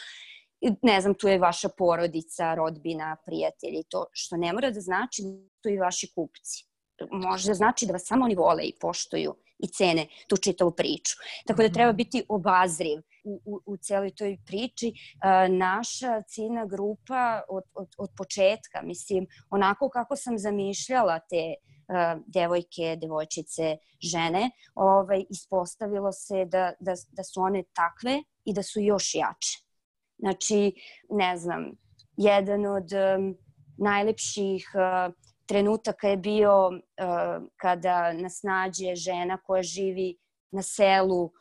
Ne znam, tu je vaša porodica, rodbina, prijatelji, to što ne mora da znači da su i vaši kupci. Može znači da vas samo oni vole i poštuju i cene tu čitavu priču. Tako da treba biti obazriv u, u, u celoj toj priči. A, naša ciljna grupa od, od, od početka, mislim, onako kako sam zamišljala te a, devojke, devojčice, žene, ovaj, ispostavilo se da, da, da su one takve i da su još jače. Znači, ne znam, jedan od um, najlepših uh, trenutaka je bio uh, kada nas nađe žena koja živi na selu uh,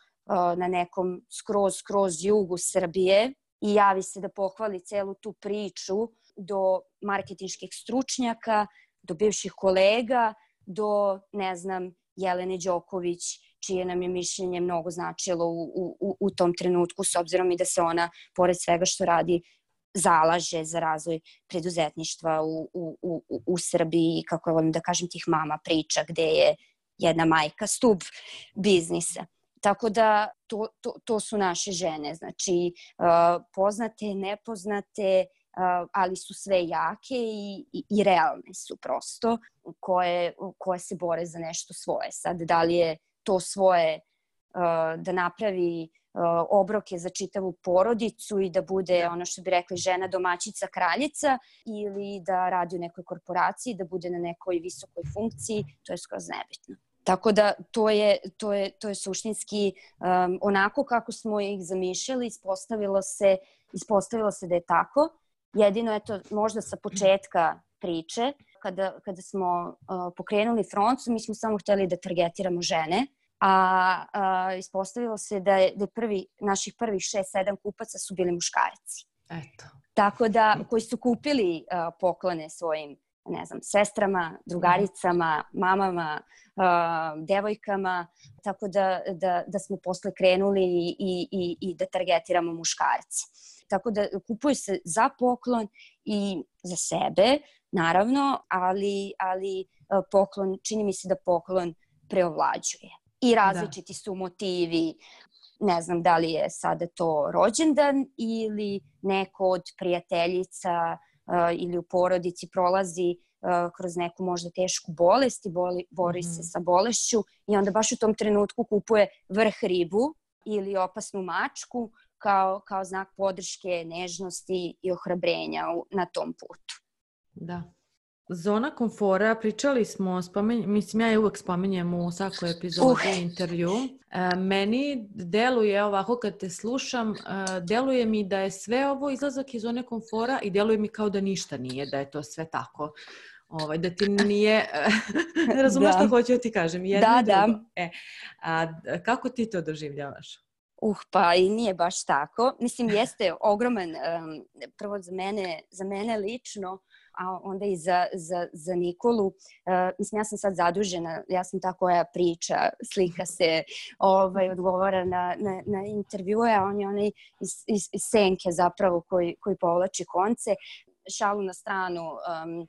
na nekom skroz, skroz jugu Srbije i javi se da pohvali celu tu priču do marketinških stručnjaka, do bivših kolega, do, ne znam, Jelene Đoković, čije nam je mišljenje mnogo značilo u, u, u tom trenutku, s obzirom i da se ona, pored svega što radi, zalaže za razvoj preduzetništva u, u, u, u Srbiji, kako volim da kažem, tih mama priča, gde je jedna majka stub biznisa. Tako da to, to, to su naše žene, znači uh, poznate, nepoznate, uh, ali su sve jake i, i, i realne su prosto, koje, koje se bore za nešto svoje. Sad, da li je to svoje uh, da napravi uh, obroke za čitavu porodicu i da bude, ono što bi rekli, žena domaćica kraljica, ili da radi u nekoj korporaciji, da bude na nekoj visokoj funkciji, to je skroz nebitno. Tako da to je, to je, to je suštinski um, onako kako smo ih zamišljali, ispostavilo se, ispostavilo se da je tako. Jedino je to možda sa početka priče, kada, kada smo uh, pokrenuli Froncu, mi smo samo hteli da targetiramo žene, a, a ispostavilo se da je, da je prvi, naših prvih šest sedam kupaca su bili muškarci. Eto. Tako da, koji su kupili uh, poklone svojim, ne znam, sestrama, drugaricama, mamama, uh, devojkama, tako da, da, da smo posle krenuli i, i, i da targetiramo muškarci. Tako da kupuju se za poklon i za sebe, naravno, ali, ali uh, poklon, čini mi se da poklon preovlađuje. I različiti da. su motivi, ne znam da li je sada to rođendan ili neko od prijateljica uh, ili u porodici prolazi uh, kroz neku možda tešku bolest i boli, bori mm-hmm. se sa bolešću i onda baš u tom trenutku kupuje vrh ribu ili opasnu mačku kao, kao znak podrške, nežnosti i ohrabrenja u, na tom putu. Da. Zona komfora, pričali smo, spomenj, mislim ja je uvek spominjem u svakoj epizodi uh. intervju. E, meni deluje ovako kad te slušam, e, deluje mi da je sve ovo izlazak iz zone komfora i deluje mi kao da ništa nije, da je to sve tako. Ovaj, da ti nije, razumeš što hoću da ti kažem, jedno da, i drugo. Da. E, a kako ti to doživljavaš? Uh, pa i nije baš tako. Mislim, jeste ogroman, um, prvo za mene, za mene lično, a onda i za, za, za Nikolu. Uh, mislim, ja sam sad zadužena, ja sam ta koja priča, slika se, ovaj, odgovara na, na, na intervjue, a on je onaj iz, iz, iz senke zapravo koji, koji povlači konce. Šalu na stranu, um,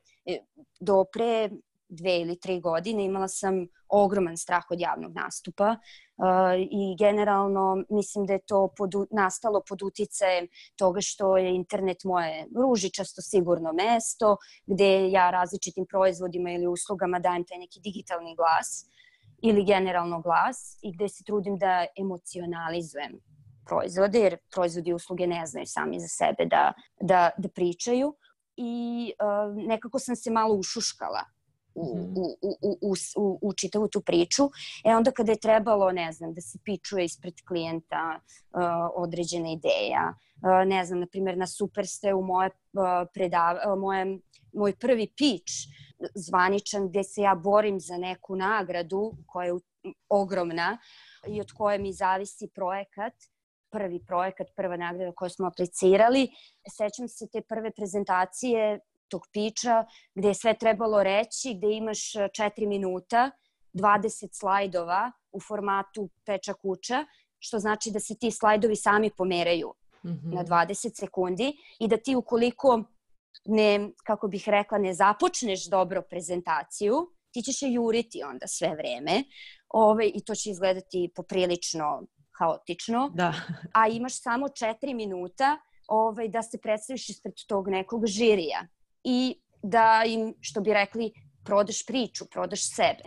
do pre dve ili tri godine imala sam ogroman strah od javnog nastupa uh, i generalno mislim da je to pod, nastalo pod uticajem toga što je internet moje ružičasto sigurno mesto gde ja različitim proizvodima ili uslugama dajem taj neki digitalni glas ili generalno glas i gde se trudim da emocionalizujem proizvode jer proizvodi i usluge ne znaju sami za sebe da, da, da pričaju i uh, nekako sam se malo ušuškala U, u, u, u, u, u čitavu tu priču. E onda kada je trebalo, ne znam, da se pičuje ispred klijenta uh, određena ideja, uh, ne znam, na primjer na Superste u moje, uh, predav, uh, moje, moj prvi pitch zvaničan gde se ja borim za neku nagradu koja je ogromna i od koje mi zavisi projekat, prvi projekat, prva nagrada koju smo aplicirali. Sećam se te prve prezentacije, tog piča, gde je sve trebalo reći, gde imaš četiri minuta, dvadeset slajdova u formatu peča kuća, što znači da se ti slajdovi sami pomeraju mm-hmm. na dvadeset sekundi i da ti ukoliko ne, kako bih rekla, ne započneš dobro prezentaciju, ti ćeš je juriti onda sve vreme Ove, i to će izgledati poprilično haotično, da. A imaš samo četiri minuta ovaj, da se predstaviš ispred tog nekog žirija i da im, što bi rekli, prodaš priču, prodaš sebe.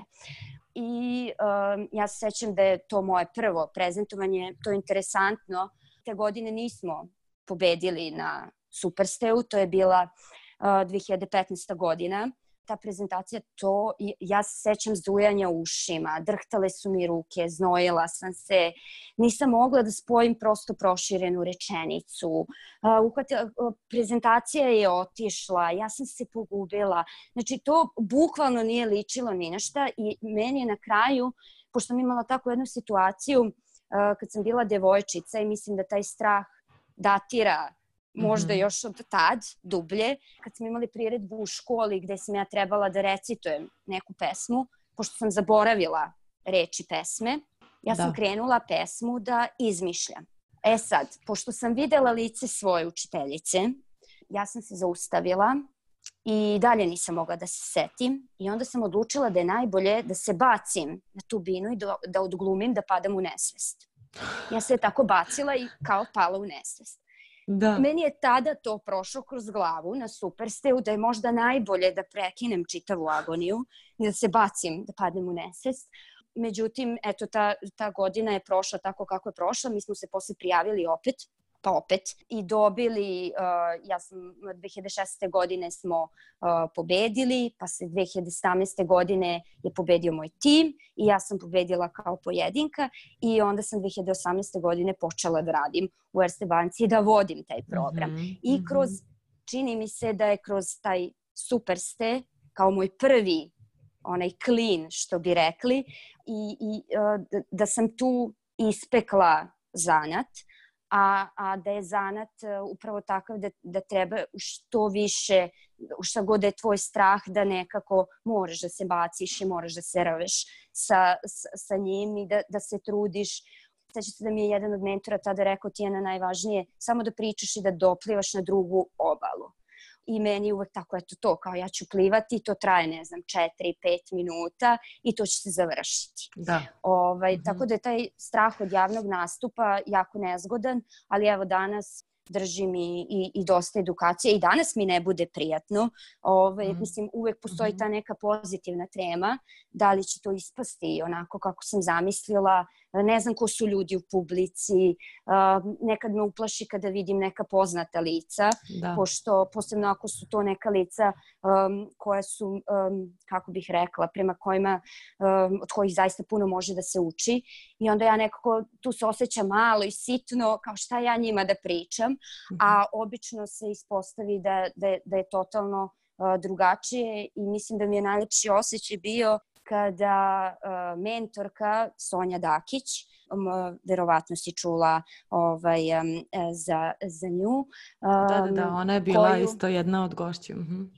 I um, ja se sećam da je to moje prvo prezentovanje, to je interesantno. Te godine nismo pobedili na Supersteu, to je bila uh, dve hiljade petnaesta godina. Ta prezentacija, to, ja se sećam zujanja ušima, drhtale su mi ruke, znojila sam se, nisam mogla da spojim prosto proširenu rečenicu. Uh, uhvatila, uh, prezentacija je otišla, ja sam se pogubila. Znači, to bukvalno nije ličilo ni na šta i meni je na kraju, pošto sam imala takvu jednu situaciju, uh, kad sam bila devojčica i mislim da taj strah datira možda mm-hmm. još od tad, dublje, kad smo imali priredbu u školi gde sam ja trebala da recitujem neku pesmu, pošto sam zaboravila reči pesme, ja sam da. krenula pesmu da izmišljam. E sad, pošto sam videla lice svoje učiteljice, ja sam se zaustavila i dalje nisam mogla da se setim i onda sam odlučila da je najbolje da se bacim na tu binu i da, da odglumim da padam u nesvest. Ja se je tako bacila i kao pala u nesvest. Da. Meni je tada to prošlo kroz glavu na Supersteu da je možda najbolje da prekinem čitavu agoniju i da se bacim, da padnem u nesvest. Međutim, eto, ta, ta godina je prošla tako kako je prošla. Mi smo se posle prijavili opet, pa opet, i dobili, uh, ja sam dve hiljade šesnaeste. godine smo uh, pobedili, pa se dve hiljade sedamnaeste. godine je pobedio moj tim i ja sam pobedila kao pojedinka i onda sam dve hiljade osamnaeste. godine počela da radim u Erste banci i da vodim taj program. Mm-hmm. I kroz, čini mi se da je kroz taj Superste, kao moj prvi onaj klin, što bi rekli, i, i uh, da, da sam tu ispekla zanat, A, a da je zanat uh, upravo takav da, da treba što više, šta god da je tvoj strah, da nekako moraš da se baciš i moraš da se rveš sa, sa, sa njim i da, da se trudiš. Sveća se da mi je jedan od mentora tada rekao, Tijana, najvažnije samo da pričaš i da doplivaš na drugu obalu. I meni uvek tako, eto to, kao ja ću plivati, to traje, ne znam, četiri, pet minuta i to će se završiti. Da. Ovaj, mm-hmm. Tako da je taj strah od javnog nastupa jako nezgodan, ali evo danas držim i, i, i dosta edukacije i danas mi ne bude prijatno. Ovaj, mm-hmm. Mislim, uvek postoji mm-hmm. ta neka pozitivna trema, da li će to ispasti onako kako sam zamislila. Ne znam ko su ljudi u publici, uh, nekad me uplaši kada vidim neka poznata lica, da. Pošto posebno ako su to neka lica um, koja su, um, kako bih rekla, prema kojima, um, od kojih zaista puno može da se uči i onda ja nekako tu se osjećam malo i sitno, kao šta ja njima da pričam, mm-hmm. a obično se ispostavi da, da, da je totalno uh, drugačije i mislim da mi je najlepši osjećaj bio kada uh, mentorka Sonja Dakić, um, verovatno si čula ovaj, um, za, za nju. Um, da, da, da, ona je bila koju... isto jedna od gošća. Uh-huh.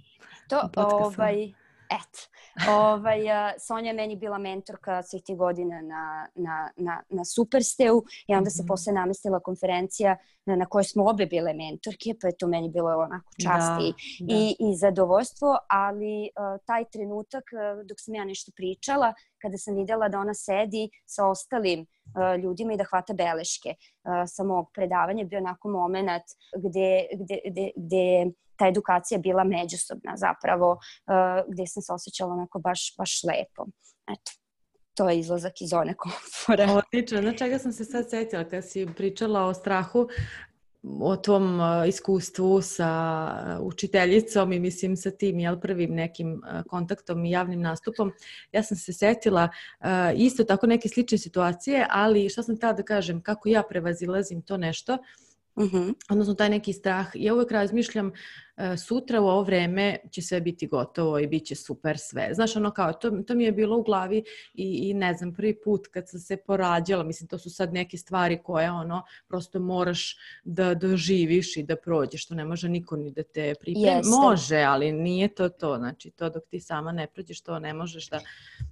To, ovaj, et, ovaj, uh, Sonja je meni bila mentorka svih tih godina na, na, na, na Supersteu i onda mm-hmm. se posle namestila konferencija na, na kojoj smo obe bile mentorke, pa je to meni bilo onako čast da, i, da. i, i zadovoljstvo, ali uh, taj trenutak uh, dok sam ja nešto pričala, kada sam videla da ona sedi sa ostalim uh, ljudima i da hvata beleške uh, sa mog predavanja, bio onako moment gde, gde, gde, gde ta edukacija bila međusobna zapravo, uh, gde sam se osjećala onako baš, baš lepo. Eto, to je izlazak iz zone komfora. Odlično, na čega sam se sad setila kad si pričala o strahu, o tom uh, iskustvu sa uh, učiteljicom i mislim sa tim jel, prvim nekim uh, kontaktom i javnim nastupom. Ja sam se setila uh, isto tako neke slične situacije, ali šta sam htjela da kažem, kako ja prevazilazim to nešto. Mhm. Odnosno taj neki strah. Ja uvek razmišljam sutra u ovo vreme će sve biti gotovo i bit će super sve. Znaš, ono kao, to, to mi je bilo u glavi i, i ne znam, prvi put kad sam se porađala, mislim, to su sad neke stvari koje, ono, prosto moraš da doživiš i da prođeš, što ne može niko ni da te pripremi. Jeste. Može, ali nije to to, znači, to dok ti sama ne prođeš, to ne možeš da,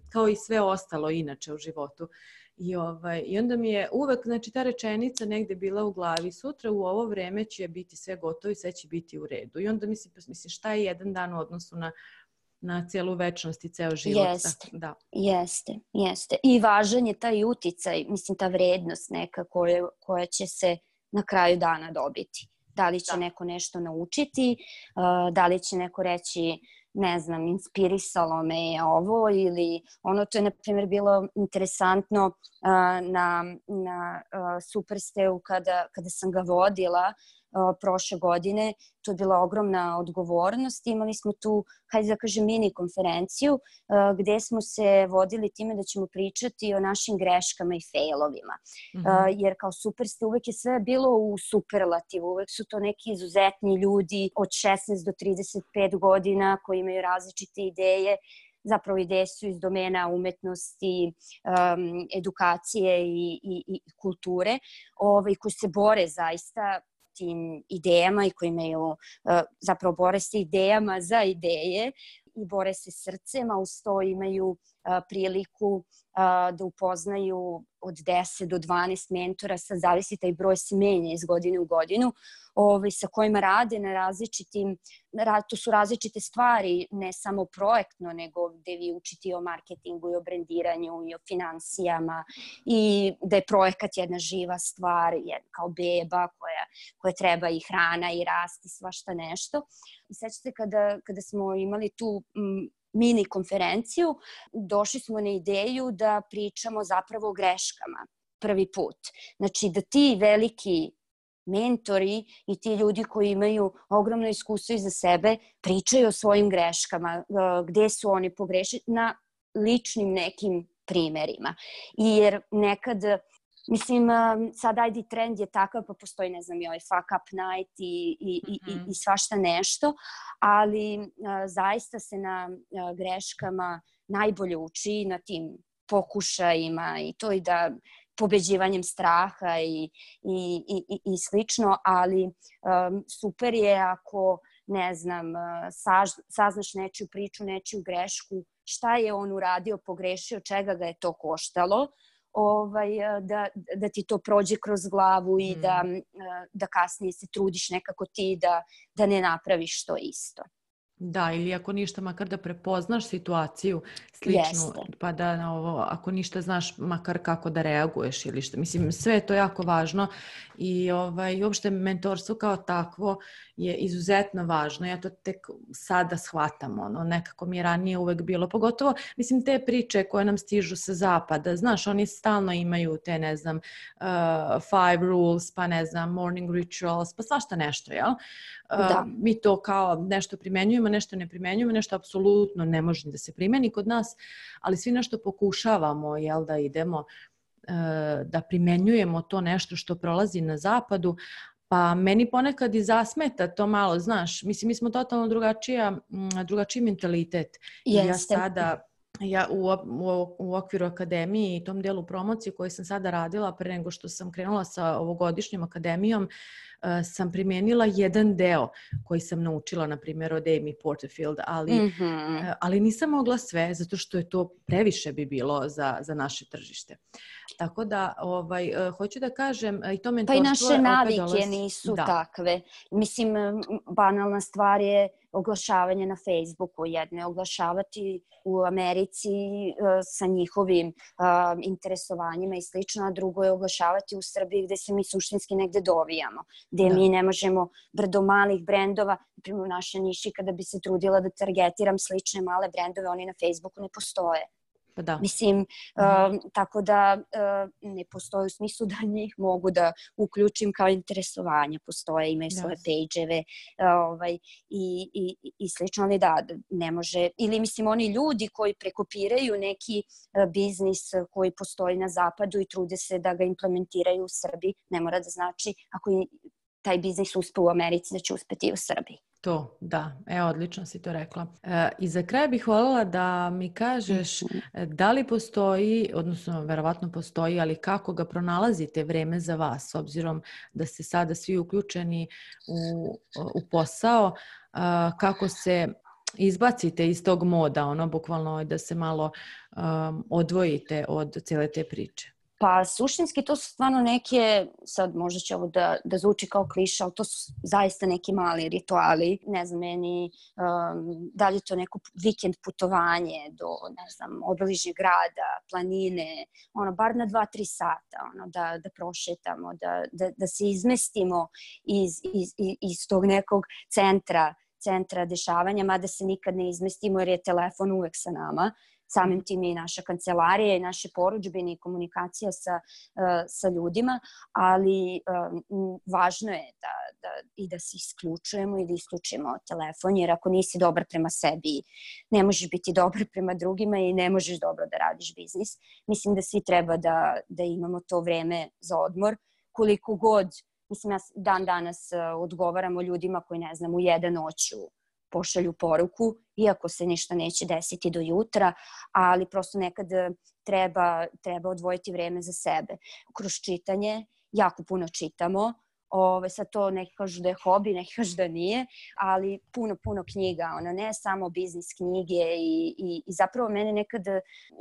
kao i sve ostalo inače u životu. I, ovaj, I onda mi je uvek, znači, ta rečenica negde bila u glavi, sutra u ovo vreme će biti sve gotovo i sve će biti u redu. I onda mislim, mislim šta je jedan dan u odnosu na, na celu večnost i ceo život. Jeste, da. jeste, jeste. I važan je taj uticaj, mislim, ta vrednost neka koja, koja će se na kraju dana dobiti. Da li će da. neko nešto naučiti, da li će neko reći, ne znam, inspirisalo me je ovo ili ono, to je, na primjer, bilo interesantno uh, na, na uh, Supersteu kada, kada sam ga vodila uh, prošle godine. To je bila ogromna odgovornost. Imali smo tu, hajde da kažem, mini konferenciju uh, gde smo se vodili time da ćemo pričati o našim greškama i failovima. Mm-hmm. Uh, jer kao Superste uvek je sve bilo u superlativu. Uvek su to neki izuzetni ljudi od šesnaest do trideset pet godina koji imaju različite ideje. Zapravo ideje su iz domena umetnosti, um, edukacije i, i, i kulture, ovaj, koji se bore zaista tim idejama i koji imaju, uh, zapravo bore se idejama za ideje i bore se srcem, a uz to imaju uh, priliku uh, da upoznaju od deset do dvanaest mentora, sad zavisi taj broj se menja iz godine u godinu, ovaj, sa kojima rade na različitim, to su različite stvari, ne samo projektno, nego gde vi učite o marketingu i o brendiranju i o finansijama i da je projekat jedna živa stvar, jedna kao beba koja, koja treba i hrana i rast i svašta nešto. I sećate kada, kada smo imali tu m, mini konferenciju, došli smo na ideju da pričamo zapravo o greškama prvi put. Znači da ti veliki mentori i ti ljudi koji imaju ogromno iskustvo iza sebe pričaju o svojim greškama, gde su oni pogrešili na ličnim nekim primerima. Jer nekad, mislim, sad ajde trend je takav, pa postoji, ne znam, i ovaj fuck up night i, i, mm-hmm. i, i svašta nešto, ali a, zaista se na a, greškama najbolje uči, na tim pokušajima i to i da pobeđivanjem straha i, i, i, i slično, ali um, super je ako, ne znam, saž, saznaš nečiju priču, nečiju grešku, šta je on uradio, pogrešio, čega ga je to koštalo, ovaj, da, da ti to prođe kroz glavu i mm. da, da kasnije se trudiš nekako ti da, da ne napraviš to isto. Da, ili ako ništa, makar da prepoznaš situaciju sličnu, Jeste. pa da ovo, ako ništa znaš, makar kako da reaguješ ili što. Mislim, sve je to jako važno i ovaj, uopšte mentorstvo kao takvo je izuzetno važno. Ja to tek sada shvatam, ono, nekako mi je ranije uvek bilo, pogotovo, mislim, te priče koje nam stižu sa zapada, znaš, oni stalno imaju te, ne znam, uh, five rules, pa ne znam, morning rituals, pa svašta nešto, jel? Uh, da. Mi to kao nešto primenjujemo, nešto ne primenjujemo, nešto apsolutno ne može da se primeni kod nas, ali svi nešto pokušavamo, jel, da idemo, uh, da primenjujemo to nešto što prolazi na zapadu, pa meni ponekad i zasmeta to malo, znaš, mislim, mi smo totalno drugačija, drugačiji mentalitet. Jeste. Ja sada, ja u, u, u okviru akademije i tom delu promocije koju sam sada radila pre nego što sam krenula sa ovogodišnjom akademijom, uh, sam primijenila jedan deo koji sam naučila, na primjer, od Amy Porterfield, ali, mm-hmm. uh, ali nisam mogla sve, zato što je to previše bi bilo za, za naše tržište. Tako da, ovaj, uh, hoću da kažem, i to mentorstvo... Pa i naše navike dolazi... nisu da. takve. Mislim, banalna stvar je oglašavanje na Facebooku, jedno je oglašavati u Americi uh, sa njihovim uh, interesovanjima i slično, a drugo je oglašavati u Srbiji gde se mi suštinski negde dovijamo, gde da. mi ne možemo brdo malih brendova, naprimjer u našoj niši kada bi se trudila da targetiram slične male brendove, oni na Facebooku ne postoje. Pa da. Mislim, uh, tako da uh, ne postoji u smislu da njih mogu da uključim kao interesovanja. Postoje, imaju yes. svoje page-eve uh, ovaj, i, i, i slično, ali da, ne može. Ili mislim, oni ljudi koji prekopiraju neki uh, biznis koji postoji na zapadu i trude se da ga implementiraju u Srbiji, ne mora da znači, ako taj biznis uspe u Americi, da će uspeti i u Srbiji. To, da. E, odlično si to rekla. E, I za kraj bih voljela da mi kažeš da li postoji, odnosno verovatno postoji, ali kako ga pronalazite vreme za vas, s obzirom da ste sada svi uključeni u, u posao, a, kako se izbacite iz tog moda, ono, bukvalno da se malo um, odvojite od cijele te priče? Pa suštinski to su stvarno neke, sad možda će ovo da, da zvuči kao kliša, ali to su zaista neki mali rituali. Ne znam, meni, um, da li je to neko vikend putovanje do, ne znam, obližnjeg grada, planine, ono, bar na dva, tri sata, ono, da, da prošetamo, da, da, da se izmestimo iz, iz, iz, iz tog nekog centra, centra dešavanja, mada se nikad ne izmestimo jer je telefon uvek sa nama. Samim tim i naša kancelarija i naše porudžbine i komunikacija sa, uh, sa ljudima, ali um, važno je da, da, i da se isključujemo i da isključimo telefon, jer ako nisi dobar prema sebi, ne možeš biti dobar prema drugima i ne možeš dobro da radiš biznis. Mislim da svi treba da, da imamo to vreme za odmor, koliko god, mislim, ja dan danas uh, odgovaramo ljudima koji, ne znam, u jedan noću pošalju poruku, iako se ništa neće desiti do jutra, ali prosto nekad treba, treba odvojiti vreme za sebe. Kroz čitanje, jako puno čitamo, Ove, sad to neki kažu da je hobi, neki kažu da nije, ali puno, puno knjiga, ono, ne samo biznis knjige i, i, i zapravo mene nekad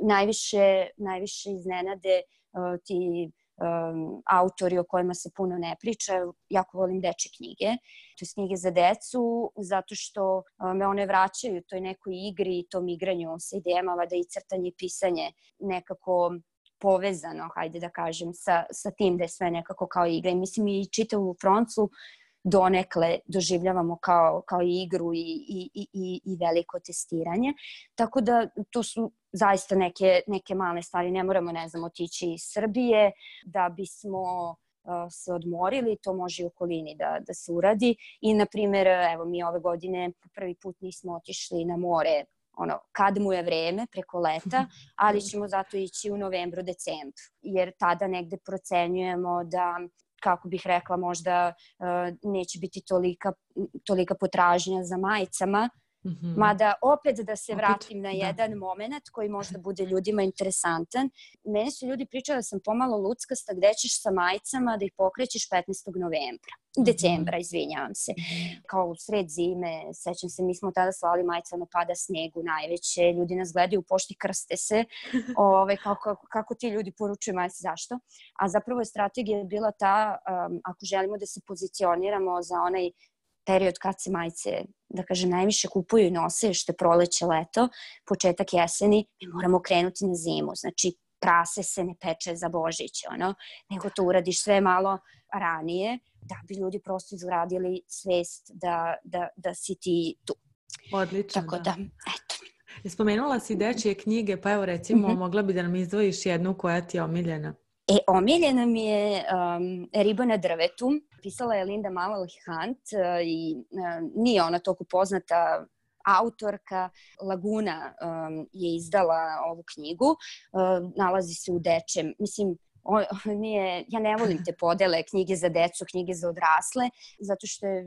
najviše, najviše iznenade uh, ti Um, autori o kojima se puno ne priča. Jako volim dečje knjige, to je knjige za decu, zato što um, me one vraćaju toj nekoj igri i tom igranju sa idejama, da i crtanje i pisanje nekako povezano, hajde da kažem, sa, sa tim da je sve nekako kao igra. I mislim i čitavu Fronclu donekle doživljavamo kao, kao igru i, i, i, i veliko testiranje. Tako da to su zaista neke, neke male stvari. Ne moramo, ne znam, otići iz Srbije da bismo uh, se odmorili. To može i u okolini da, da se uradi. I, na primjer, evo, mi ove godine prvi put nismo otišli na more ono, kad mu je vreme, preko leta, ali ćemo zato ići u novembru, decembru. Jer tada negde procenjujemo da, kako bih rekla, možda uh, neće biti tolika, tolika potražnja za majicama. Mm-hmm. Mada opet da se vratim opet, na jedan da. moment koji možda bude ljudima interesantan. Meni su ljudi pričali da sam pomalo luckasta, gde ćeš sa majicama da ih pokrećeš petnaestog novembra. Mm-hmm. Decembra, izvinjavam se. Mm-hmm. Kao u sred zime, sećam se, mi smo tada slali majice, ono pada snegu najveće, ljudi nas gledaju u pošti, krste se. Ove, kako, kako ti ljudi poručuju majice, zašto? A zapravo je strategija bila ta, um, ako želimo da se pozicioniramo za onaj period kad se majice, da kažem, najviše kupuju i nose, što je proleće, leto, početak jeseni, mi moramo krenuti na zimu. Znači, prase se ne peče za Božić, ono, nego to uradiš sve malo ranije, da bi ljudi prosto izgradili svest da, da, da si ti tu. Odlično, tako da. da, eto. Spomenula si dečje knjige, pa evo recimo, mm-hmm. mogla bi da nam izdvojiš jednu koja ti je omiljena. E, omiljena mi je um, Riba na drvetu. Pisala je Linda Mallory Hunt uh, i uh, nije ona toliko poznata autorka. Laguna um, je izdala ovu knjigu. Uh, nalazi se u dečjem, mislim, on, nije, ja ne volim te podele knjige za decu, knjige za odrasle, zato što je,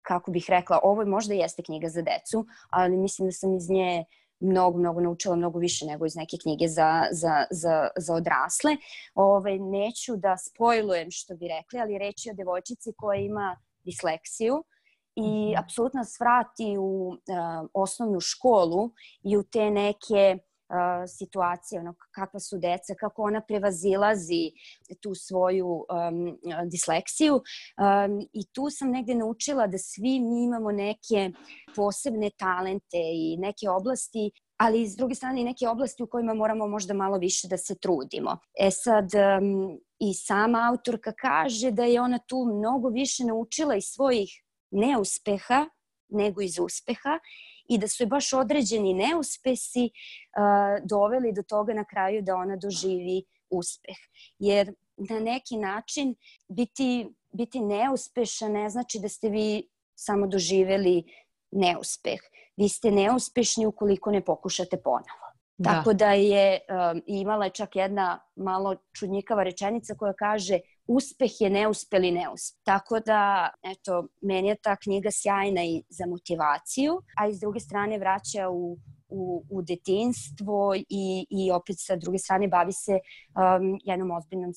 kako bih rekla, ovo možda jeste knjiga za decu, ali mislim da sam iz nje mnogo, mnogo naučila, mnogo više nego iz neke knjige za, za, za, za odrasle. Ove, neću da spojlujem što bi rekli, ali reći o devojčici koja ima disleksiju i mm-hmm. apsolutno nas vrati u uh, osnovnu školu i u te neke uh, situacije, ono, kakva su deca, kako ona prevazilazi tu svoju um, disleksiju. Um, I tu sam negde naučila da svi mi imamo neke posebne talente i neke oblasti, ali s druge strane i neke oblasti u kojima moramo možda malo više da se trudimo. E sad, um, i sama autorka kaže da je ona tu mnogo više naučila iz svojih neuspeha nego iz uspeha i da su je baš određeni neuspesi uh, doveli do toga na kraju da ona doživi uspeh. Jer na neki način biti, biti neuspešan ne znači da ste vi samo doživeli neuspeh. Vi ste neuspešni ukoliko ne pokušate ponovo. Da. Tako da je um, imala čak jedna malo čudnjikava rečenica koja kaže uspeh je neuspeli neuspeh. Tako da, eto, meni je ta knjiga sjajna i za motivaciju, a i s druge strane vraća u U, u detinjstvo i, i opet sa druge strane bavi se um, jednom ozbiljnom,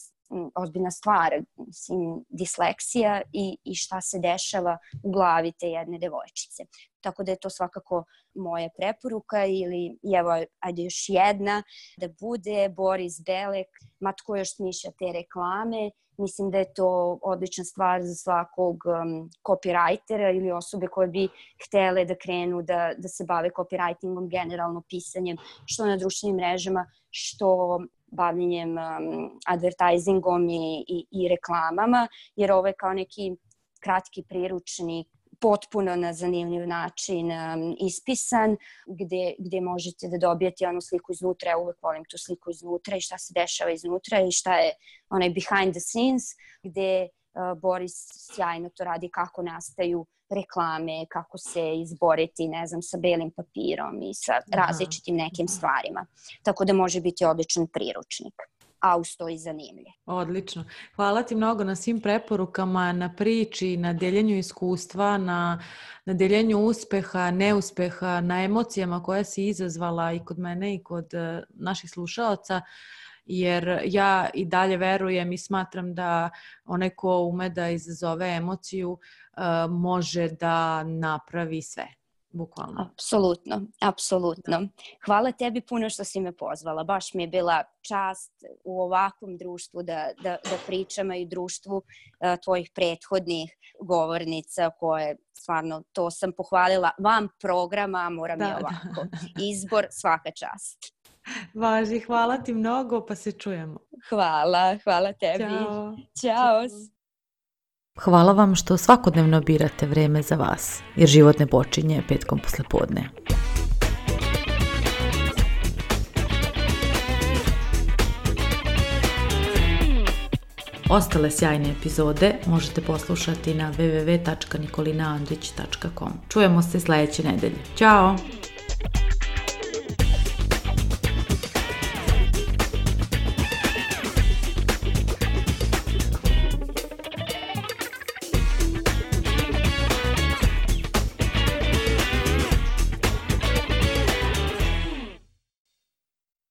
ozbiljna stvar, mislim, disleksija i, i šta se dešava u glavi te jedne devojčice. Tako da je to svakako moja preporuka ili evo, ajde još jedna, da bude Boris Belek, ma tko još smišlja te reklame. Mislim da je to odlična stvar za svakog um, copywritera ili osobe koje bi htele da krenu da, da se bave copywritingom, generalno pisanjem, što na društvenim mrežama, što bavljenjem um, advertisingom i, i, i reklamama, jer ovo je kao neki kratki priručnik, potpuno na zanimljiv način um, ispisan, gde, gde možete da dobijete onu sliku iznutra. Ja uvek volim tu sliku iznutra i šta se dešava iznutra i šta je onaj behind the scenes, gde uh, Boris sjajno to radi, kako nastaju reklame, kako se izboriti, ne znam, sa belim papirom i sa različitim nekim stvarima. Tako da može biti odličan priručnik. A uz to i zanimljiv. Odlično. Hvala ti mnogo na svim preporukama, na priči, na deljenju iskustva, na, na deljenju uspeha, neuspeha, na emocijama koje si izazvala i kod mene i kod uh, naših slušaoca, jer ja i dalje verujem i smatram da onaj ko ume da izazove emociju uh, može da napravi sve. Bukvalno. Apsolutno, apsolutno. Hvala tebi puno što si me pozvala. Baš mi je bila čast u ovakvom društvu da, da, da pričamo i društvu uh, tvojih prethodnih govornica koje stvarno, to sam pohvalila vam programa, moram da, i ovako. Da. Izbor, svaka čast. Važi, hvala ti mnogo, pa se čujemo. Hvala, hvala tebi. Ćao. Ćao. Hvala vam što svakodnevno birate vreme za vas, jer život ne počinje petkom posle podne. Ostale sjajne epizode možete poslušati na w w w tačka nikolina andrić tačka com. Čujemo se sledeće nedelje. Ćao!